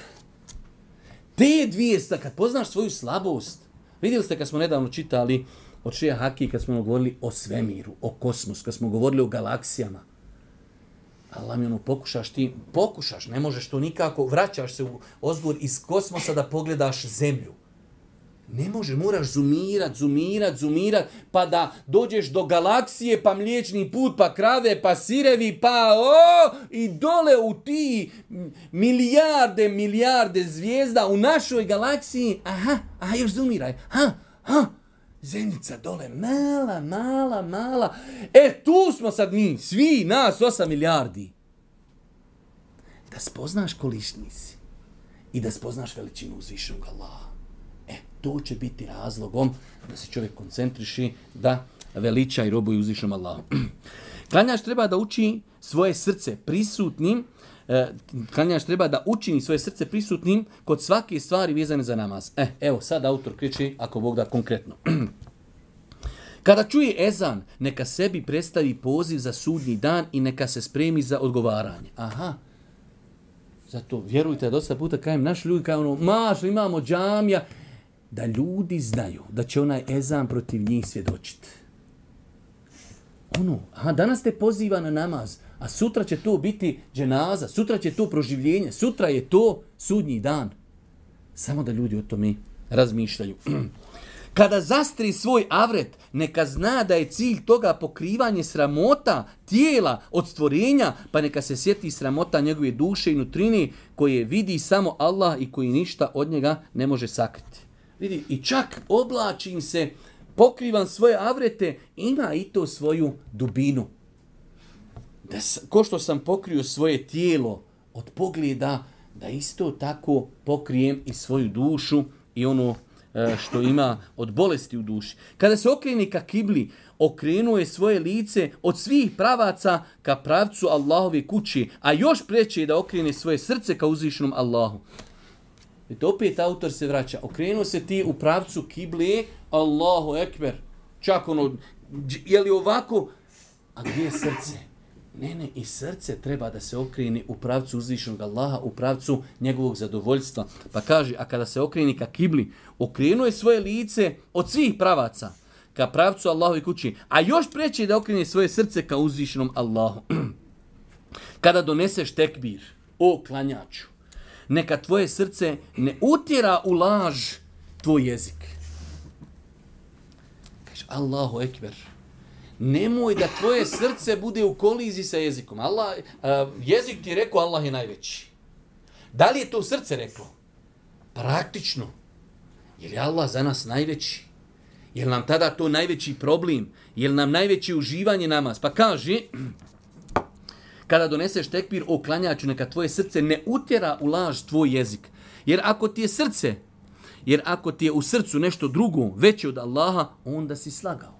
Te dvije stvari, kad poznaš svoju slabost. Vidjeli ste kad smo nedavno čitali od Šeha Haki, kad smo govorili o svemiru, o kosmosu, kad smo govorili o galaksijama. Allah mi ono, pokušaš ti, pokušaš, ne možeš to nikako, vraćaš se u ozgor iz kosmosa da pogledaš zemlju. Ne može, moraš zumirat, zumirat, zumirat, pa da dođeš do galaksije, pa mliječni put, pa krave, pa sirevi, pa o, i dole u ti milijarde, milijarde zvijezda u našoj galaksiji. Aha, aha, još zumiraj. Ha, ha, zemljica dole, mala, mala, mala. E, tu smo sad mi, svi nas, osam milijardi. Da spoznaš kolišni si i da spoznaš veličinu uzvišenog Allaha. E, to će biti razlogom da se čovjek koncentriši, da veliča i robuje uzvišenom Allahu. Klanjač treba da uči svoje srce prisutnim, e, klanjač treba da učini svoje srce prisutnim kod svake stvari vezane za namaz. E, evo, sad autor kriči, ako Bog da konkretno. Kada čuje ezan, neka sebi predstavi poziv za sudnji dan i neka se spremi za odgovaranje. Aha. Zato, vjerujte, dosta puta kajem, naši ljudi kao ono, maš, imamo džamija, da ljudi znaju da će onaj ezan protiv njih svjedočiti. Ono, aha, danas te poziva na namaz, a sutra će to biti dženaza, sutra će to proživljenje, sutra je to sudnji dan. Samo da ljudi o tome razmišljaju. Kada zastri svoj avret, neka zna da je cilj toga pokrivanje sramota tijela od stvorenja, pa neka se sjeti sramota njegove duše i nutrine koje vidi samo Allah i koji ništa od njega ne može sakriti. Vidi, i čak oblačim se, pokrivam svoje avrete, ima i to svoju dubinu. Da, ko što sam pokrio svoje tijelo od pogleda, da isto tako pokrijem i svoju dušu i ono što ima od bolesti u duši. Kada se okrene ka kibli, okrenuo je svoje lice od svih pravaca ka pravcu Allahove kući, a još preće je da okrene svoje srce ka uzvišenom Allahu. I opet autor se vraća. Okrenuo se ti u pravcu kible, Allahu ekber. Čak ono, je li ovako? A gdje je srce? Ne, ne, i srce treba da se okrene u pravcu uzvišenog Allaha, u pravcu njegovog zadovoljstva. Pa kaže, a kada se okrene ka kibli, okrenuo je svoje lice od svih pravaca ka pravcu Allahove kući, a još preće da okrene svoje srce ka uzvišenom Allahu. Kada doneseš tekbir, o klanjaču, neka tvoje srce ne utjera u laž tvoj jezik. Kaže, Allahu ekber. Nemoj da tvoje srce bude u koliziji sa jezikom. Allah, uh, jezik ti je rekao Allah je najveći. Da li je to srce reklo? Praktično. Je li Allah za nas najveći? Je li nam tada to najveći problem? Je li nam najveće uživanje namaz? Pa kaže, Kada doneseš tekbir o klanjaču, neka tvoje srce ne utjera u laž tvoj jezik. Jer ako ti je srce, jer ako ti je u srcu nešto drugo veće od Allaha, onda si slagao.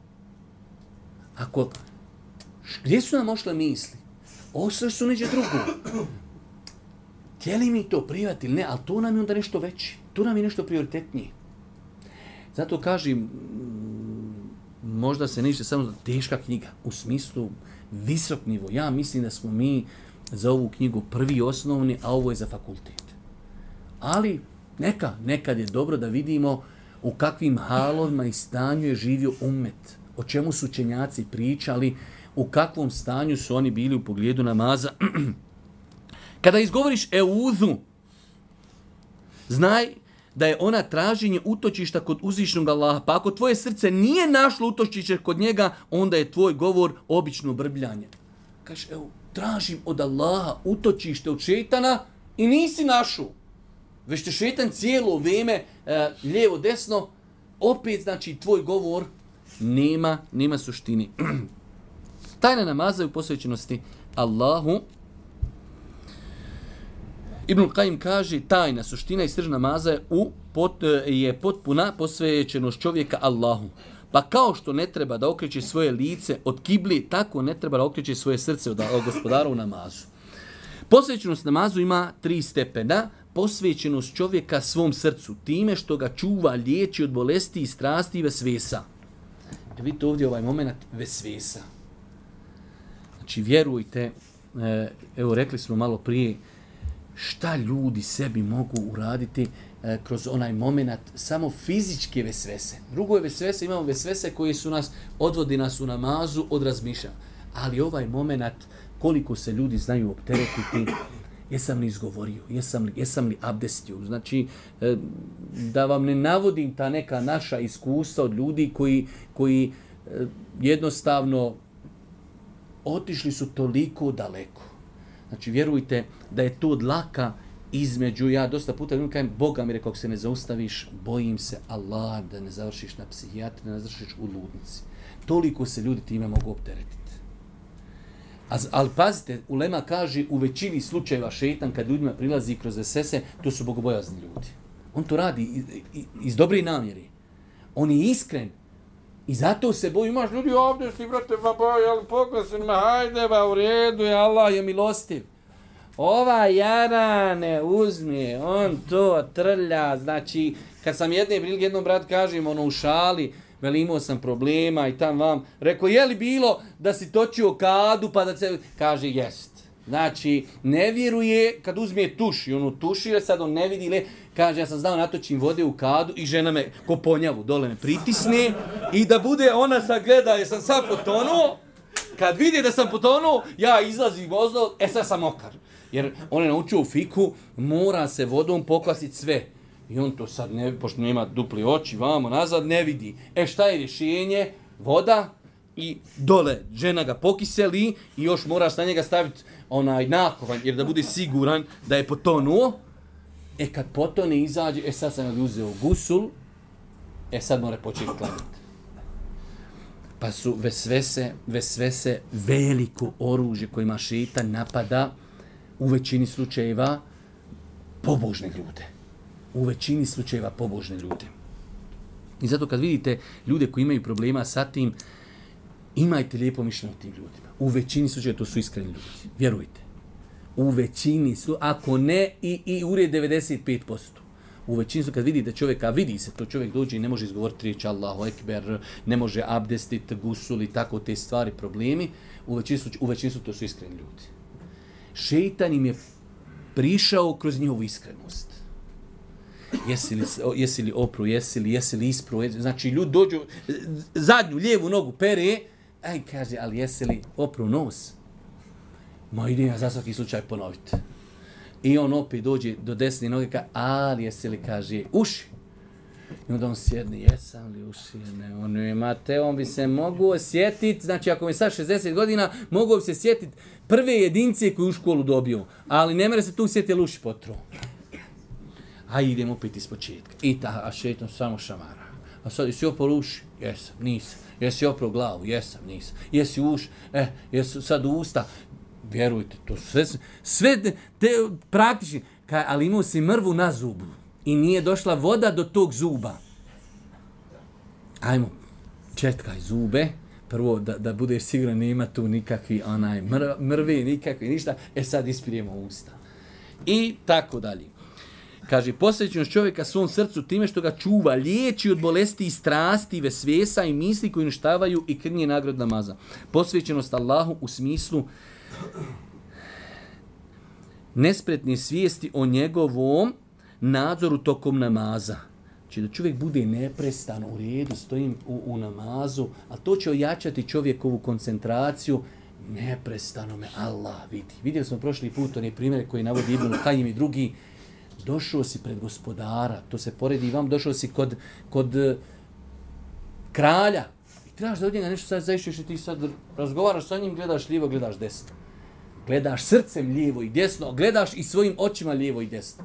Ako, gdje su nam ošle misli? Ošle su neđe drugo. Htjeli mi to prihvatiti ili ne, ali to nam je onda nešto veće. To nam je nešto prioritetnije. Zato kažem, možda se neće samo da teška knjiga, u smislu visok nivo. Ja mislim da smo mi za ovu knjigu prvi osnovni, a ovo je za fakultet. Ali neka, nekad je dobro da vidimo u kakvim halovima i stanju je živio ummet, o čemu su učenjaci pričali, u kakvom stanju su oni bili u pogledu namaza. Kada izgovoriš eudhu, znaj da je ona traženje utočišta kod uzvišnog Allaha. Pa ako tvoje srce nije našlo utočište kod njega, onda je tvoj govor obično brbljanje. Kažeš, evo, tražim od Allaha utočište od šejtana i nisi našu. Već te šejtan cijelo vrijeme, e, lijevo, desno, opet, znači, tvoj govor nema, nema suštini. Tajna namaza je u posvećenosti Allahu. Ibn Kajim kaže, tajna suština i srž namaza je, u, pot, je potpuna posvećenost čovjeka Allahu. Pa kao što ne treba da okreće svoje lice od kibli, tako ne treba da okreće svoje srce od, od gospodara u namazu. Posvećenost namazu ima tri stepena. Posvećenost čovjeka svom srcu, time što ga čuva, liječi od bolesti i strasti i vesvesa. E vidite ovdje ovaj moment vesvesa. Znači, vjerujte, evo rekli smo malo prije, šta ljudi sebi mogu uraditi e, kroz onaj moment samo fizičke vesvese. Drugo je vesvese, imamo vesvese koji su nas, odvodi nas u namazu od razmišljanja. Ali ovaj moment, koliko se ljudi znaju opteretiti, jesam li izgovorio, jesam li, jesam li abdestio. Znači, e, da vam ne navodim ta neka naša iskustva od ljudi koji, koji e, jednostavno otišli su toliko daleko. Znači, vjerujte da je to dlaka između, ja dosta puta ljudima kajem, Boga mi rekao, ako se ne zaustaviš, bojim se Allah da ne završiš na psihijatri, da ne završiš u ludnici. Toliko se ljudi time mogu opteretiti. Ali pazite, ulema kaže, u većini slučajeva šejtan, kad ljudima prilazi kroz vesvese, to su bogobojazni ljudi. On to radi iz, iz dobre namjeri. On je iskren. I zato se boji, imaš ljudi ovdje, si vrate, pa boj, ali pokosim me, hajde, ba, u redu je, Allah je milostiv. Ova jarane uzme, on to trlja, znači, kad sam jedne prilike jednom brat kažem, ono u šali, veli imao sam problema i tam vam, rekao, je li bilo da si točio kadu, pa da se, kaže, jest. Znači, ne vjeruje, kad uzme tuš i ono tušira, sad on ne vidi, le, kaže, ja sam znao natočim vode u kadu i žena me ko ponjavu dole me pritisne i da bude ona sad gleda, jer sam sad potonuo, kad vidi da sam potonuo, ja izlazim vozno, e sad sam mokar. Jer on je naučio u fiku, mora se vodom pokvasiti sve. I on to sad, ne, pošto nema dupli oči, vamo, nazad, ne vidi. E šta je rješenje? Voda i dole žena ga pokiseli i još moraš na njega staviti onaj nakovanj, jer da bude siguran da je potonuo. E kad potone izađe, e sad sam ga uzeo gusul, e sad mora početi klanjati. Pa su vesvese, vesvese veliko oružje kojima šejtan napada u većini slučajeva pobožne ljude. U većini slučajeva pobožne ljude. I zato kad vidite ljude koji imaju problema sa tim, imajte lijepo mišljenje o tim ljudima. U većini slučajeva to su iskreni ljudi. Vjerujte. U većini slučajeva, ako ne i, i ured devedeset pet posto. U većini slučajeva kad vidite čovjeka, vidi se to, čovjek dođe i ne može izgovoriti riječ Allahu Ekber, ne može abdestiti, gusul i tako te stvari, problemi. U većini slučajeva, u većini slučajeva to su iskreni ljudi. Šejtan im je prišao kroz njihovu iskrenost. Jesi li, jesi li opru, jesi li, jesi li ispru, znači ljudi dođu, zadnju lijevu nogu pere, aj kaže, ali jesi li opru nos? Ma idem ja za svaki slučaj ponoviti. I on opet dođe do desne noge, kaže, ali jesi li, kaže, uši? I onda on sjedne, jesam li uši? Ne, on imate, on bi se mogu osjetiti, znači ako mi sad šezdeset godina, mogu bi se sjetiti prve jedince koje u školu dobio, ali ne mere se tu sjetiti, jel uši potru. A idem opet iz početka. I ta, a šetan samo šamara. A sad, jesi opro uši? Jesam, nisam. Jesi opro glavu? Jesam, nisam. Jesi uš? Eh, jesi sad usta? Vjerujte, to sve, sve te, te praktični, kaj, ali imao si mrvu na zubu i nije došla voda do tog zuba. Ajmo, četkaj zube, prvo da, da budeš siguran nema tu nikakvi onaj mr, mrve, nikakvi ništa, e sad ispirijemo usta. I tako dalje. Kaže, posvećenost čovjeka svom srcu time što ga čuva, liječi od bolesti i strasti, vesvesa i misli koji uništavaju i krnje nagrad namaza. Posvećenost Allahu u smislu nespretne svijesti o njegovom nadzoru tokom namaza. Znači da čovjek bude neprestano u redu, stojim u, u namazu, a to će ojačati čovjekovu koncentraciju, neprestano me Allah vidi. Vidjeli smo prošli put one primjere koji navodi Ibn Kajim i drugi. Došao si pred gospodara, to se poredi i vam, došao si kod, kod uh, kralja i trebaš da od njega nešto sad zaišćeš i ti sad razgovaraš sa njim, gledaš lijevo, gledaš desno. Gledaš srcem lijevo i desno, gledaš i svojim očima lijevo i desno.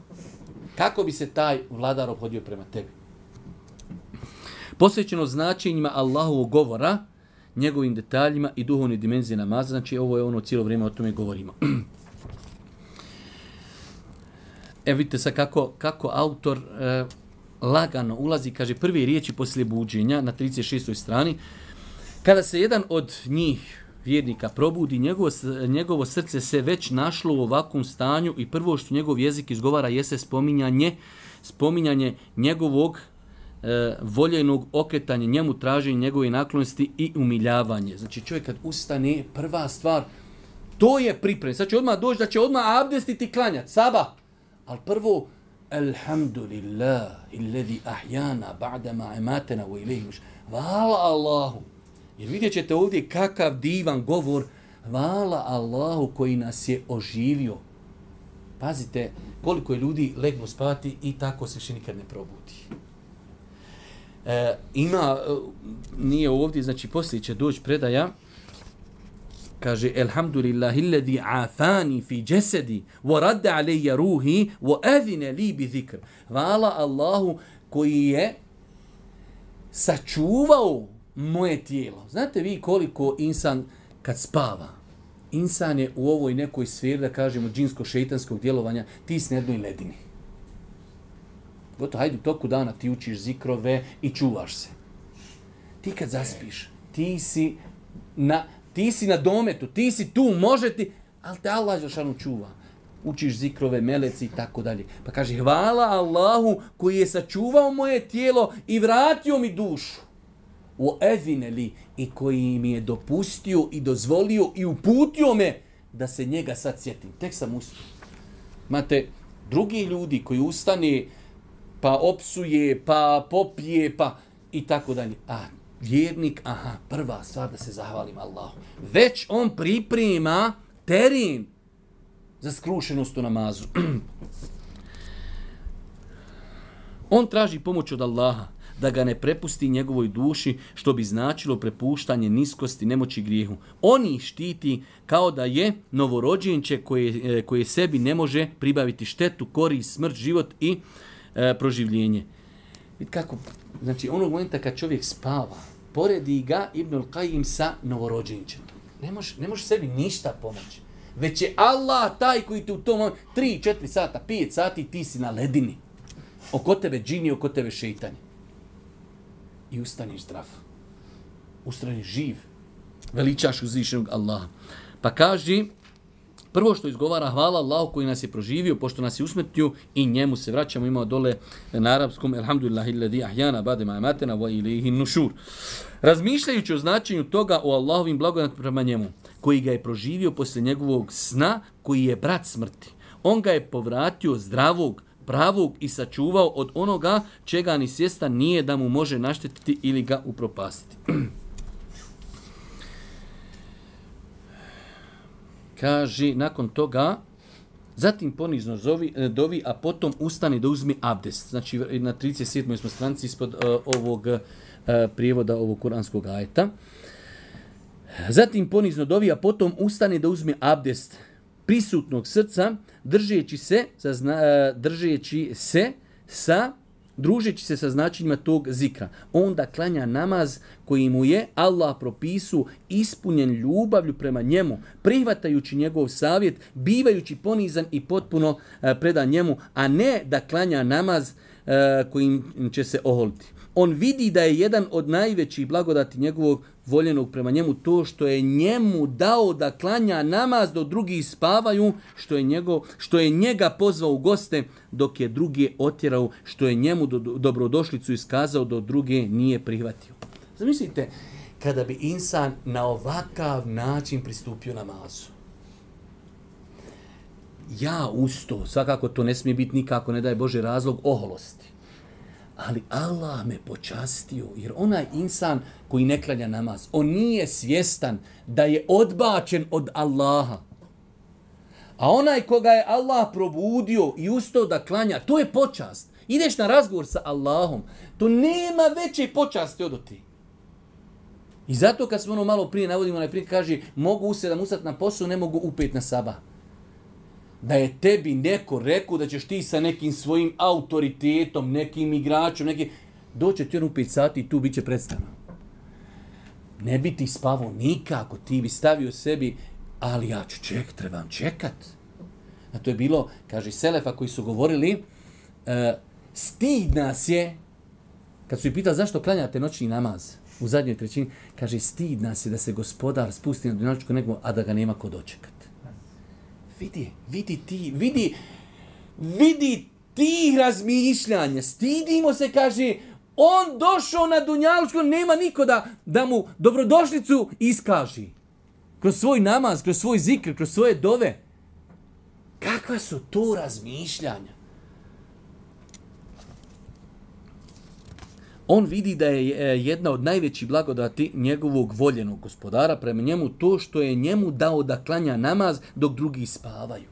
Kako bi se taj vladar obhodio prema tebi? Posvećeno značenjima Allahovog govora, njegovim detaljima i duhovne dimenzije namaza, znači ovo je ono cijelo vrijeme o tome govorimo. Evo vidite sad kako, kako autor e, lagano ulazi, kaže prve riječi poslije buđenja na trideset šestoj strani. Kada se jedan od njih, vjernika, probudi, njegovo, njegovo srce se već našlo u ovakvom stanju i prvo što njegov jezik izgovara jeste spominjanje, spominjanje njegovog e, voljenog okretanja, njemu traženje njegove naklonosti i umiljavanje. Znači čovjek kad ustane, prva stvar, to je priprem. Sad će odmah doći da će odmah abdestiti klanjati, sabah. Ali prvo, alhamdulillah, illadhi ahjana ba'dama ematena u ilihim. Hvala Allahu. Jer vidjet ćete ovdje kakav divan govor. Hvala Allahu koji nas je oživio. Pazite koliko je ljudi legnu spati i tako se više nikad ne probudi. E, ima, nije ovdje, znači poslije će doći predaja. Kaže, elhamdulillahi alladhi afani fi jasadi wa radda alayya ruhi wa adhina li bi zikr. Hvala Allahu koji je sačuvao moje tijelo. Znate vi koliko insan kad spava, insan je u ovoj nekoj sferi, da kažemo, džinsko-šeitanskog djelovanja, ti si na jednoj ledini. Gotovo, hajde u toku dana ti učiš zikrove i čuvaš se. Ti kad zaspiš, ti si na... Ti si na dometu, ti si tu, može ti, ali te Allah Đelšanu čuva. Učiš zikrove, meleci i tako dalje. Pa kaže, hvala Allahu koji je sačuvao moje tijelo i vratio mi dušu. O evineli, i koji mi je dopustio i dozvolio i uputio me da se njega sad sjetim. Tek sam ustao. Imate drugi ljudi koji ustane, pa opsuje, pa popije, pa i tako dalje. A vjernik, aha, prva stvar da se zahvalim Allahu. Već on priprema teren za skrušenost u namazu. On traži pomoć od Allaha da ga ne prepusti njegovoj duši, što bi značilo prepuštanje niskosti, nemoći, grijehu. On ih štiti kao da je novorođenče koje, koje sebi ne može pribaviti štetu, korist, smrt, život i e, proživljenje. Vidite kako, znači onog momenta kad čovjek spava, poredi ga Ibnul Kajim sa novorođenčetom. Ne može, ne može sebi ništa pomoći. Već je Allah taj koji te u tom momentu, tri, četiri sata, pet sati, ti si na ledini. Oko tebe džini, oko tebe šeitanje. I ustaniš zdrav. Ustaniš živ. Veličaš uzvišenog Allaha. Pa kaži, prvo što izgovara, hvala Allahu koji nas je proživio, pošto nas je usmrtio i njemu se vraćamo. Imamo dole na arapskom, elhamdulillahi alladhi ahyana ba'da ma amatana wa ilayhi nushur. Razmišljajući o značenju toga o Allahovim blagodatima prema njemu, koji ga je proživio posle njegovog sna, koji je brat smrti. On ga je povratio zdravog, pravog i sačuvao od onoga čega ni svjestan nije da mu može naštetiti ili ga upropastiti. Kaže, nakon toga, zatim ponizno zovi, dovi, a potom ustane da uzme abdest. Znači, na trideset sedmoj smo stranici ispod uh, ovog uh, prijevoda ovog kuranskog ajeta. Zatim ponizno dovi, a potom ustane da uzme abdest prisutnog srca, držeći se, sa, uh, držeći se sa družeći se sa značenjima tog zikra. Onda klanja namaz koji mu je Allah propisu ispunjen ljubavlju prema njemu, prihvatajući njegov savjet, bivajući ponizan i potpuno e, predan njemu, a ne da klanja namaz e, kojim će se oholiti. On vidi da je jedan od najvećih blagodati njegovog voljenog prema njemu to što je njemu dao da klanja namaz dok drugi spavaju, što je, njegov, što je njega pozvao u goste dok je druge otjerao, što je njemu do, dobrodošlicu iskazao dok druge nije prihvatio. Zamislite, kada bi insan na ovakav način pristupio namazu. Ja usto, svakako to ne smije biti nikako, ne daje Bože razlog oholosti. Ali Allah me počastio, jer onaj insan koji ne klanja namaz, on nije svjestan da je odbačen od Allaha. A onaj koga je Allah probudio i ustao da klanja, to je počast. Ideš na razgovor sa Allahom, to nema veće počasti od ti. I zato kad smo ono malo prije navodimo, najprije kaže, mogu u sedam ustat na posao, ne mogu u pet na sabah. Da je tebi neko rekao da ćeš ti sa nekim svojim autoritetom, nekim igračom, nekim... doće ti on u pet sati i tu bit će predstavno. Ne bi ti spavao nikako, ti bi stavio sebi, ali ja ću ček, trebam čekat. A to je bilo, kaže Selefa koji su govorili, uh, stid nas je, kad su ih pitali zašto klanjate noćni namaz u zadnjoj trećini, kaže stid nas je da se gospodar spusti na dunjalučku nebu, a da ga nema ko dočekat. Vidi, vidi ti, vidi, vidi tih razmišljanja. Stidimo se, kaže, on došao na dunjalučku, nema niko da, da mu dobrodošlicu iskaži. Kroz svoj namaz, kroz svoj zikr, kroz svoje dove. Kakva su to razmišljanja? On vidi da je jedna od najvećih blagodati njegovog voljenog gospodara prema njemu to što je njemu dao da klanja namaz dok drugi spavaju.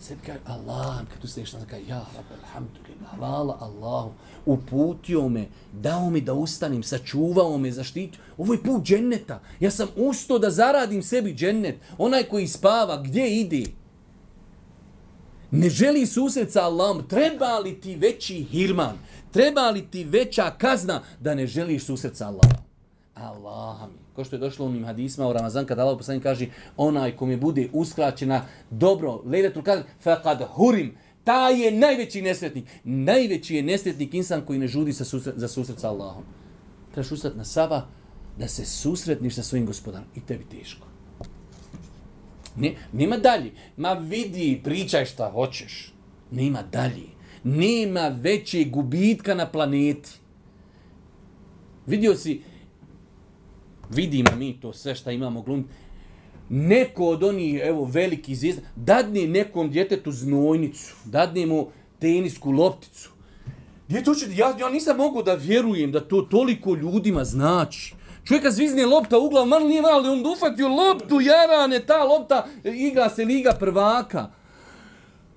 Sebi kaže, Allah, kad tu sliješ nam kaže, ja, rabbi, alhamdulillah, hvala Allahu, uputio me, dao mi da ustanim, sačuvao me, zaštitio. Ovo je put dženneta. Ja sam ustao da zaradim sebi džennet. Onaj koji spava, gdje ide? Ne želi susret sa Allahom. Treba li ti veći hirman? Treba li ti veća kazna da ne želiš susret sa Allahom? Allah mi. Ko što je došlo u onim hadisma u Ramazan, kada Allah poslanik kaže, onaj ko mi bude uskraćena dobro, lejletul kadr, faqad hurim. Taj je najveći nesretnik. Najveći je nesretnik insan koji ne žudi sa susret, za susret sa Allahom. Trebaš ustati na sabah da se susretniš sa svojim gospodarom. I tebi teško. Ne, nema dalje. Ma vidi, pričaj šta hoćeš. Nema dalje. Nema veće gubitka na planeti. Vidio si, vidimo mi to sve šta imamo glumiti. Neko od onih, evo, veliki zvijezda, dadne nekom djetetu znojnicu, dadne mu tenisku lopticu. Djete hoće, ja, ja nisam mogu da vjerujem da to toliko ljudima znači. Čovjeka zvizne lopta u glavu, malo nije malo, on ufatio loptu, jarane, ta lopta, igra se Liga prvaka.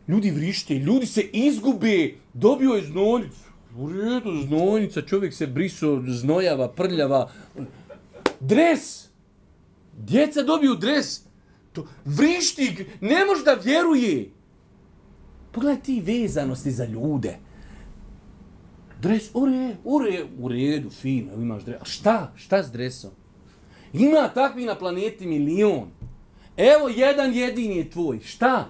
Ljudi vrište, ljudi se izgube, dobio je znojnicu. U redu, znojnica, čovjek se briso, znojava, prljava. Dres! Djeca dobiju dres. To, vrišti, ne može da vjeruje. Pogledaj ti vezanosti za ljude. Dres, u redu, u redu, u redu, fino, imaš dres. A šta? Šta s dresom? Ima takvi na planeti milion. Evo, jedan jedini je tvoj. Šta?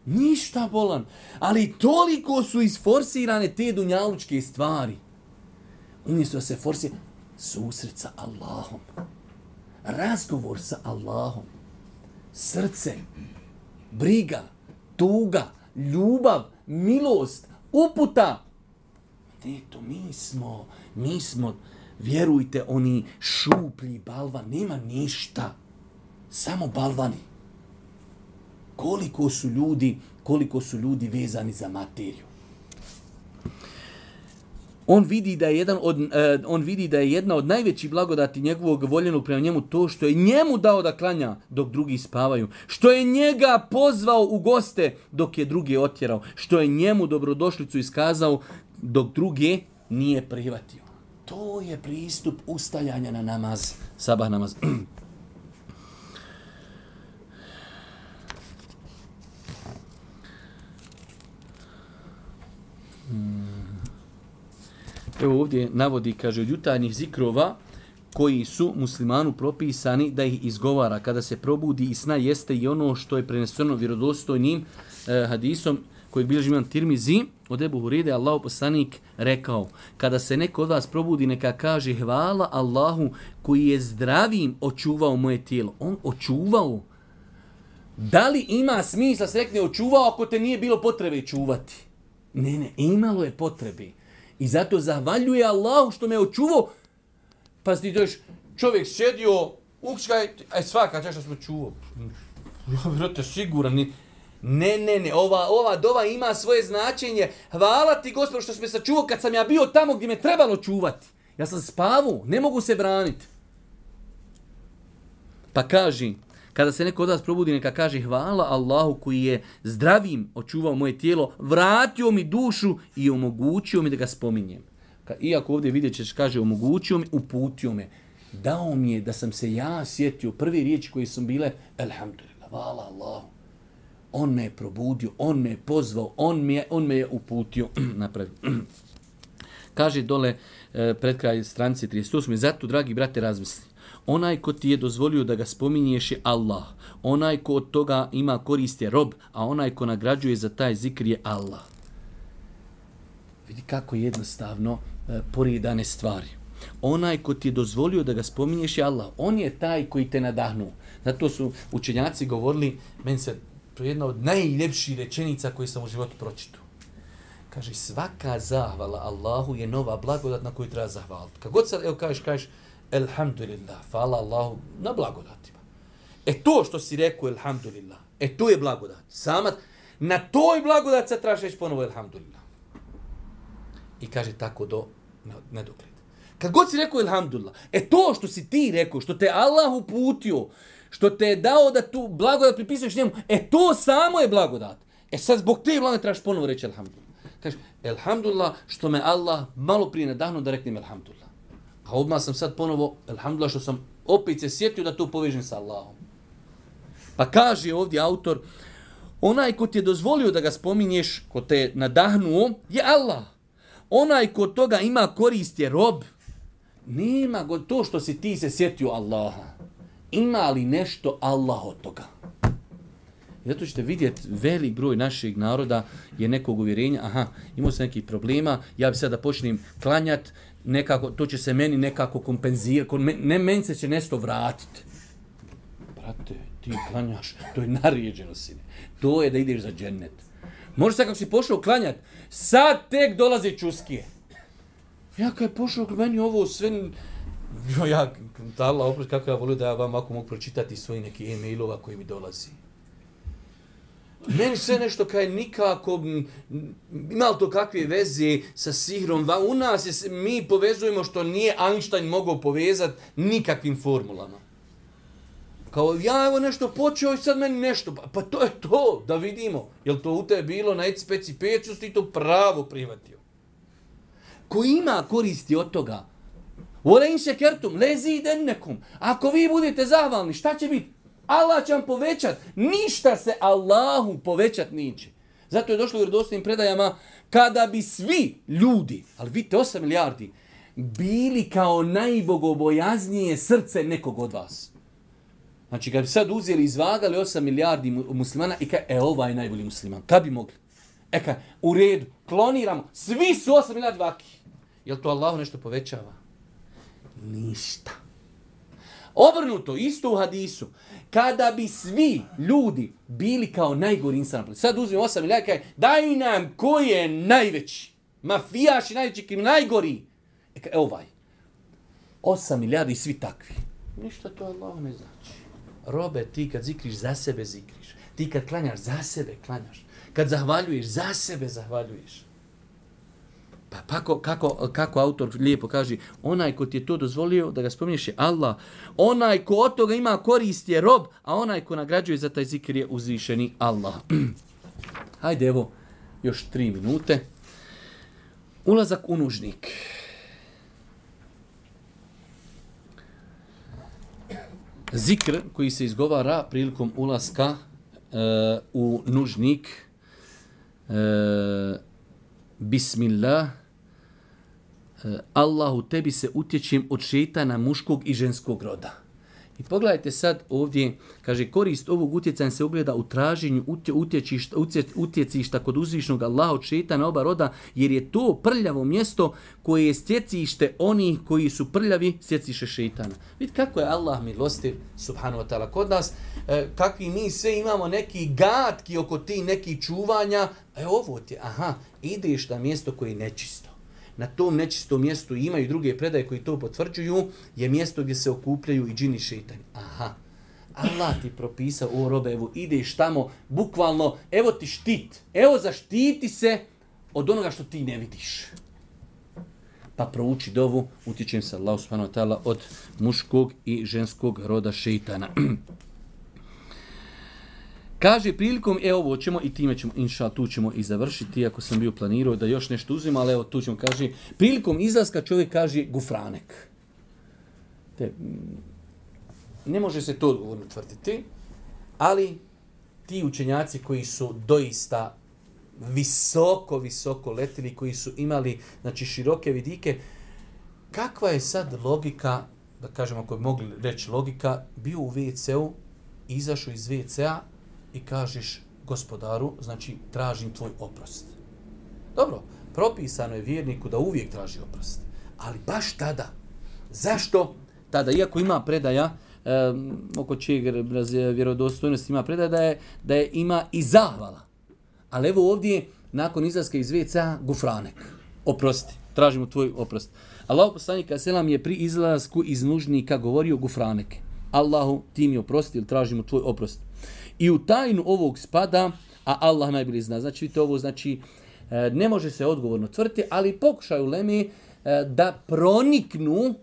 Ništa bolan. Ali toliko su isforsirane te dunjalučke stvari. Umjesto da se forsira susret sa Allahom. Razgovor sa Allahom. Srce. Briga. Tuga. Ljubav. Milost. Uputa. Eto, mi smo, mi smo, vjerujte, oni šuplji balvan. Nema ništa. Samo balvani. Koliko su ljudi, koliko su ljudi vezani za materiju. On vidi da je jedan od uh, on vidi da je jedna od najvećih blagodati njegovog voljenog prema njemu to što je njemu dao da klanja dok drugi spavaju, što je njega pozvao u goste dok je druge otjerao, što je njemu dobrodošlicu iskazao dok druge nije prihvatio. To je pristup ustajanja na namaz, sabah namaz. Hmm. Evo ovdje navodi, kaže, od jutarnjih zikrova koji su muslimanu propisani da ih izgovara kada se probudi i sna jeste i ono što je preneseno vjerodostojnim eh, hadisom koji bilježi imam Tirmizi od Ebu Hureyre, Allahu poslanik rekao, kada se neko od vas probudi neka kaže hvala Allahu koji je zdravim očuvao moje tijelo. On očuvao. Da li ima smisla se rekne očuvao ako te nije bilo potrebe čuvati? Ne, ne, imalo je potrebe. I zato zahvaljuje Allahu što me očuvao. Pa ti dođeš, čovjek sjedio, ukškaj, aj svaka čaša smo čuvao. Ja bih rekao siguran, ni... Ne, ne, ne, ova, ova dova ima svoje značenje. Hvala ti, Gospod, što si me sačuvao kad sam ja bio tamo gdje me trebalo čuvati. Ja sam spavao, ne mogu se braniti. Pa kaži, kada se neko od vas probudi, neka kaže hvala Allahu koji je zdravim očuvao moje tijelo, vratio mi dušu i omogućio mi da ga spominjem. Iako ovdje vidjet ćeš, kaže omogućio mi, uputio me. Dao mi je da sam se ja sjetio, prve riječi koje su bile, elhamdulillah, hvala Allahu. On me je probudio, on me je pozvao, on me je, on me je uputio. Napravio. Kaže dole pred kraj stranice trideset osam. Zato, dragi brate, razmisli. Onaj ko ti je dozvolio da ga spominješ je Allah. Onaj ko od toga ima korist je rob, a onaj ko nagrađuje za taj zikr je Allah. Vidi kako jednostavno e, poredane stvari. Onaj ko ti je dozvolio da ga spominješ je Allah. On je taj koji te nadahnuo. Zato su učenjaci govorili, meni se to je jedna od najljepših rečenica koje sam u životu pročitao. Kaže, svaka zahvala Allahu je nova blagodat na koju treba zahvaliti. Kad god sad, evo kažeš, kažeš, elhamdulillah, hvala Allahu na blagodatima. E to što si rekao, elhamdulillah, e to je blagodat. Sama, na toj blagodat sad trebaš reći ponovo, elhamdulillah. I kaže tako do nedogled. Kad god si rekao, elhamdulillah, e to što si ti rekao, što te Allah uputio, što te je dao da tu blagodat pripisuješ njemu, e to samo je blagodat. E sad zbog te blagodati trebaš ponovo reći elhamdulillah. Kaže, elhamdulillah što me Allah malo prije nadahnuo da reknem elhamdulillah. A odmah sam sad ponovo elhamdulillah što sam opet se sjetio da to povežem sa Allahom. Pa kaže ovdje autor, onaj ko ti je dozvolio da ga spominješ, ko te je nadahnuo, je Allah. Onaj ko toga ima korist je rob. Nema go to što si ti se sjetio Allaha. Ima li nešto Allah od toga? I zato ćete vidjeti, velik broj našeg naroda je nekog uvjerenja, aha, imao sam nekih problema, ja bi sad da počnem klanjati, nekako, to će se meni nekako kompenzirati, ne, meni se će nešto vratiti. Brate, ti klanjaš, to je naređeno, sine. To je da ideš za džennet. Možeš sad kako si pošao klanjati, sad tek dolaze čuskije. Ja kad je pošao meni ovo sve... Jo, ja, da Allah oprosti, kako ja volio da ja vam ako mogu pročitati svoji neki e-mailova koji mi dolazi. Meni sve nešto kaj nikako, ima li to kakve veze sa sihrom? U nas je, mi povezujemo što nije Einstein mogao povezati nikakvim formulama. Kao ja evo nešto počeo i sad meni nešto, pa, pa to je to, da vidimo. Jel to u tebe bilo na eci peci pecu, ti to pravo prihvatio. Ko ima koristi od toga? Vole in šekertum, lezi dennekum. Ako vi budete zahvalni, šta će biti? Allah će vam povećat. Ništa se Allahu povećat niće. Zato je došlo u vjerodostojnim predajama, kada bi svi ljudi, ali vidite osam milijardi, bili kao najbogobojaznije srce nekog od vas. Znači, kad bi sad uzeli i izvagali osam milijardi muslimana i kaj, e, ovaj je najbolji musliman. Kad bi mogli? E kaj, u redu, kloniramo, svi su osam milijardi vaki. Jel to Allahu nešto povećava? Ništa. Obrnuto, isto u hadisu. Kada bi svi ljudi bili kao najgori insan, sad uzmemo osam milijardi, kaj, daj nam ko je najveći. Mafijaš i najveći krim, najgori. E kaj, ovaj. osam milijardi i svi takvi. Ništa to Allah ne znači. Robe, ti kad zikriš, za sebe zikriš. Ti kad klanjaš, za sebe klanjaš. Kad zahvaljuješ, za sebe zahvaljuješ. Pa kako, kako, kako autor lijepo kaže, onaj ko ti je to dozvolio da ga spominješ je Allah. Onaj ko od toga ima korist je rob, a onaj ko nagrađuje za taj zikr je uzvišeni Allah. Hajde evo, još tri minute. Ulazak u nužnik. Zikr koji se izgovara prilikom ulaska uh, u nužnik. Uh, Bismillah, Allahu, tebi se utječem od šejtana muškog i ženskog roda. I pogledajte sad ovdje, kaže, korist ovog utjecaja se ogleda u traženju utječišta, utjecišta kod uzvišnog Allaha od šejtana oba roda, jer je to prljavo mjesto koje je stjecište onih koji su prljavi, stjeciše šejtana. Vidite kako je Allah milostiv, subhanahu wa ta'ala, kod nas, e, kakvi mi sve imamo neki gatki oko ti neki čuvanja, e ovo ti, aha, ideš na mjesto koje je nečisto. Na tom nečistom mjestu imaju druge predaje koji to potvrđuju, je mjesto gdje se okupljaju i džini šejtani. Aha, Allah ti propisao, o robe, evo ideš tamo, bukvalno, evo ti štit, evo zaštiti se od onoga što ti ne vidiš. Pa prouči dovu, utječem se Allahu subhanahu wa ta'ala od muškog i ženskog roda šejtana. Kaže prilikom, evo ovo ćemo i time ćemo, inša, tu ćemo i završiti, ako sam bio planirao da još nešto uzim, ali evo tu ćemo, kaže, prilikom izlaska čovjek kaže gufranek. Te, ne može se to odgovorno tvrditi, ali ti učenjaci koji su doista visoko, visoko letili, koji su imali, znači, široke vidike, kakva je sad logika, da kažemo, ako bi mogli reći logika, bio u ve ce u, izašao iz ve ce a, i kažeš gospodaru, znači tražim tvoj oprost. Dobro, propisano je vjerniku da uvijek traži oprost. Ali baš tada. Zašto? Tada, iako ima predaja, um, oko čijeg vjerodostojnosti ima predaja, da je, da je ima i zahvala. Ali evo ovdje, nakon izlaska iz ve ce a, gufranek. Oprosti, tražimo tvoj oprost. Allahu poslanik selam je pri izlasku iz nužnika govorio gufraneke. Allahu, ti mi oprosti ili tražimo tvoj oprost. I u tajnu ovog spada, a Allah najbolje zna. Znači, vidite, ovo znači, ne može se odgovorno tvrditi, ali pokušaju lemi da proniknu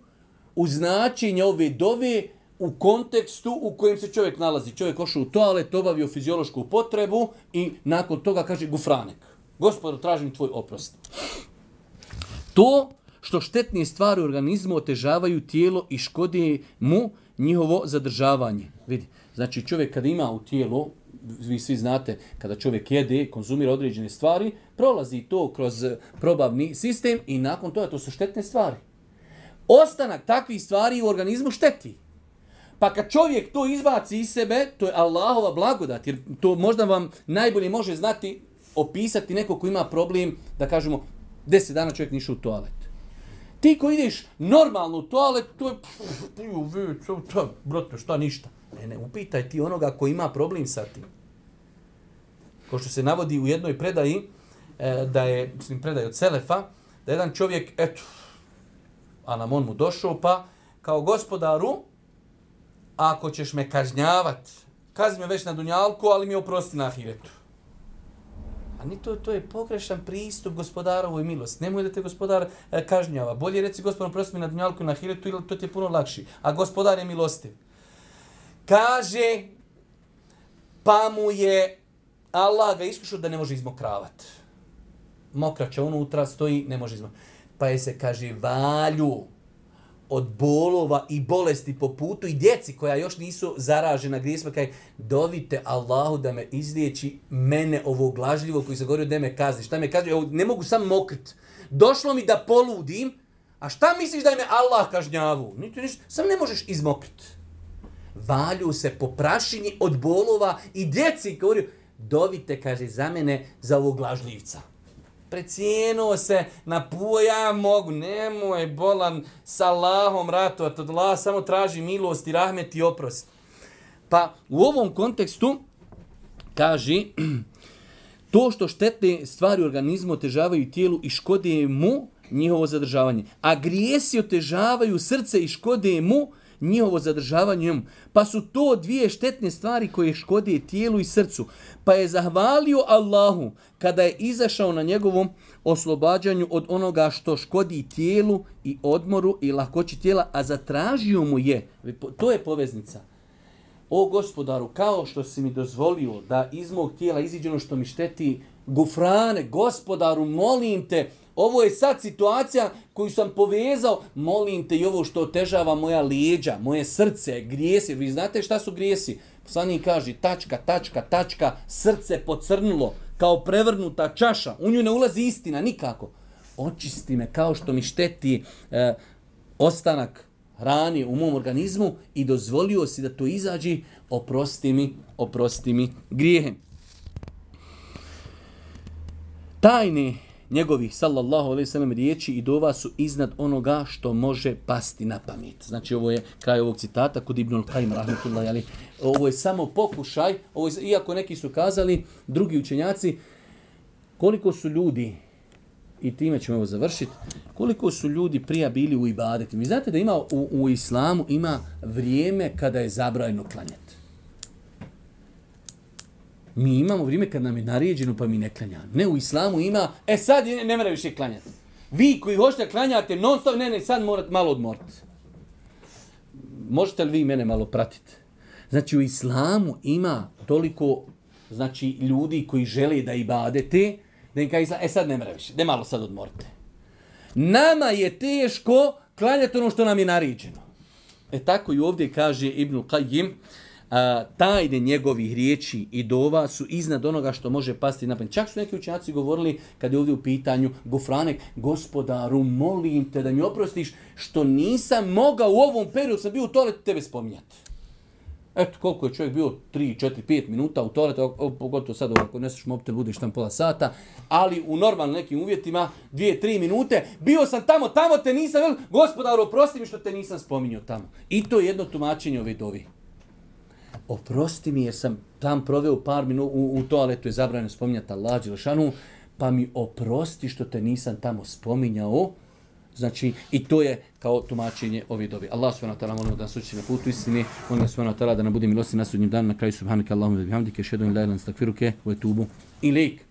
u značenje ove dove u kontekstu u kojem se čovjek nalazi. Čovjek ošao u toalet, obavio fiziološku potrebu i nakon toga kaže gufranek. Gospodo, tražim tvoj oprost. To što štetne stvari u organizmu otežavaju tijelo i škode mu njihovo zadržavanje. Vidi. Znači čovjek kada ima u tijelu, vi svi znate, kada čovjek jede, konzumira određene stvari, prolazi to kroz probavni sistem i nakon toga to su štetne stvari. Ostanak takvih stvari u organizmu šteti. Pa kad čovjek to izbaci iz sebe, to je Allahova blagodat, jer to možda vam najbolje može znati, opisati neko ko ima problem, da kažemo, deset dana čovjek niše u toalet. Ti ko ideš normalno u toalet, to je, brate, šta ništa. Ne, ne, upitaj ti onoga ko ima problem sa tim. Ko što se navodi u jednoj predaji, da je, mislim, predaj od Selefa, da jedan čovjek, eto, a nam on mu došao, pa kao gospodaru, ako ćeš me kažnjavat, kazni me već na dunjalku, ali mi oprosti na ahiretu. A ni to, to je pogrešan pristup gospodarovoj milosti. Nemoj da te gospodar e, kažnjava. Bolje reci gospodar, oprosti mi na dunjalku i na ahiretu, ili to ti je puno lakši. A gospodar je milostiv. Kaže, pa mu je Allah ga iskušao da ne može izmokravat. Mokraća unutra stoji, ne može izmokravat. Pa je se, kaže, valju od bolova i bolesti po putu i djeci koja još nisu zaražena grijesima, kaže, dovite Allahu da me izliječi mene ovog lažljivog koji se govorio da me kazni. Šta me kazni? Ne mogu sam mokrit. Došlo mi da poludim, a šta misliš da je me Allah kažnjavu? Niti ništa, sam ne možeš izmokrit. Valju se po prašini od bolova i djeci govorio, dovite, kaže, za mene, za ovog lažljivca. Precijenuo se na puo, ja mogu, nemoj bolan sa Allahom ratovat od Allah, samo traži milost i rahmet i oprost. Pa u ovom kontekstu kaže, to što štetne stvari u organizmu otežavaju tijelu i škode mu njihovo zadržavanje, a grijesi otežavaju srce i škode mu njihovo zadržavanje, pa su to dvije štetne stvari koje škode tijelu i srcu. Pa je zahvalio Allahu kada je izašao na njegovom oslobađanju od onoga što škodi tijelu i odmoru i lahkoći tijela, a zatražio mu je, to je poveznica. O gospodaru, kao što si mi dozvolio da iz mog tijela iziđe ono što mi šteti, gufrane, gospodaru, molim te, ovo je sad situacija koju sam povezao, molim te i ovo što otežava moja lijeđa, moje srce, grijesi. Vi znate šta su grijesi? Poslanik kaže, tačka, tačka, tačka, srce pocrnulo, kao prevrnuta čaša. U nju ne ulazi istina, nikako. očisti me kao što mi šteti e, ostanak hrani u mom organizmu i dozvolio si da to izađe, oprosti mi, oprosti mi grijehe. Tajne njegovih, sallallahu alejhi ve sellem, riječi i dova su iznad onoga što može pasti na pamet. Znači, ovo je kraj ovog citata kod Ibnul Kajim, rahmetullahi alejhi. Ovo je samo pokušaj, ovo je, iako neki su kazali, drugi učenjaci, koliko su ljudi, i time ćemo ovo završiti, koliko su ljudi prija bili u ibadetima. Vi znate da ima u, u islamu ima vrijeme kada je zabranjeno klanjati. Mi imamo vrijeme kad nam je naređeno pa mi ne klanjamo. Ne, u islamu ima, e sad ne, ne mora više klanjati. Vi koji hoćete klanjate non stop, ne, ne, sad morate malo odmoriti. Možete li vi mene malo pratiti? Znači, u islamu ima toliko, znači, ljudi koji žele da ibadete, da im kaže, e sad ne mora više, da malo sad odmorite. Nama je teško klanjati ono što nam je naređeno. E tako i ovdje kaže Ibnul Kajim, a, tajne njegovih riječi i dova su iznad onoga što može pasti na pamet. Čak su neki učenjaci govorili, kad je ovdje u pitanju Gufranek, gospodaru, molim te da mi oprostiš što nisam mogao u ovom periodu, sam bio u toaletu, tebe spominjati. Eto, koliko je čovjek bio, tri, četiri, pet minuta u toaletu, pogotovo sad ako neseš mobitel, budeš tam pola sata, ali u normalnim nekim uvjetima, dvije, tri minute, bio sam tamo, tamo te nisam, gospodaru, oprosti mi što te nisam spominjao tamo. I to je jedno tumačenje ove dovi. Oprosti mi jer sam tam proveo par minuta, u, u toaletu je zabranjeno spominjati Allah dželešanu, pa mi oprosti što te nisam tamo spominjao. Znači, i to je kao tumačenje ove dobe. Allah subhanahu wa ta'ala molimo da nas uči na putu istine, molimo subhanahu wa ta'ala da nam bude milosti na sudnjem danu, na kraju subhanaka Allahumma wa bihamdike, ashhadu an la ilaha illa anta astaghfiruke wa atubu ilejk.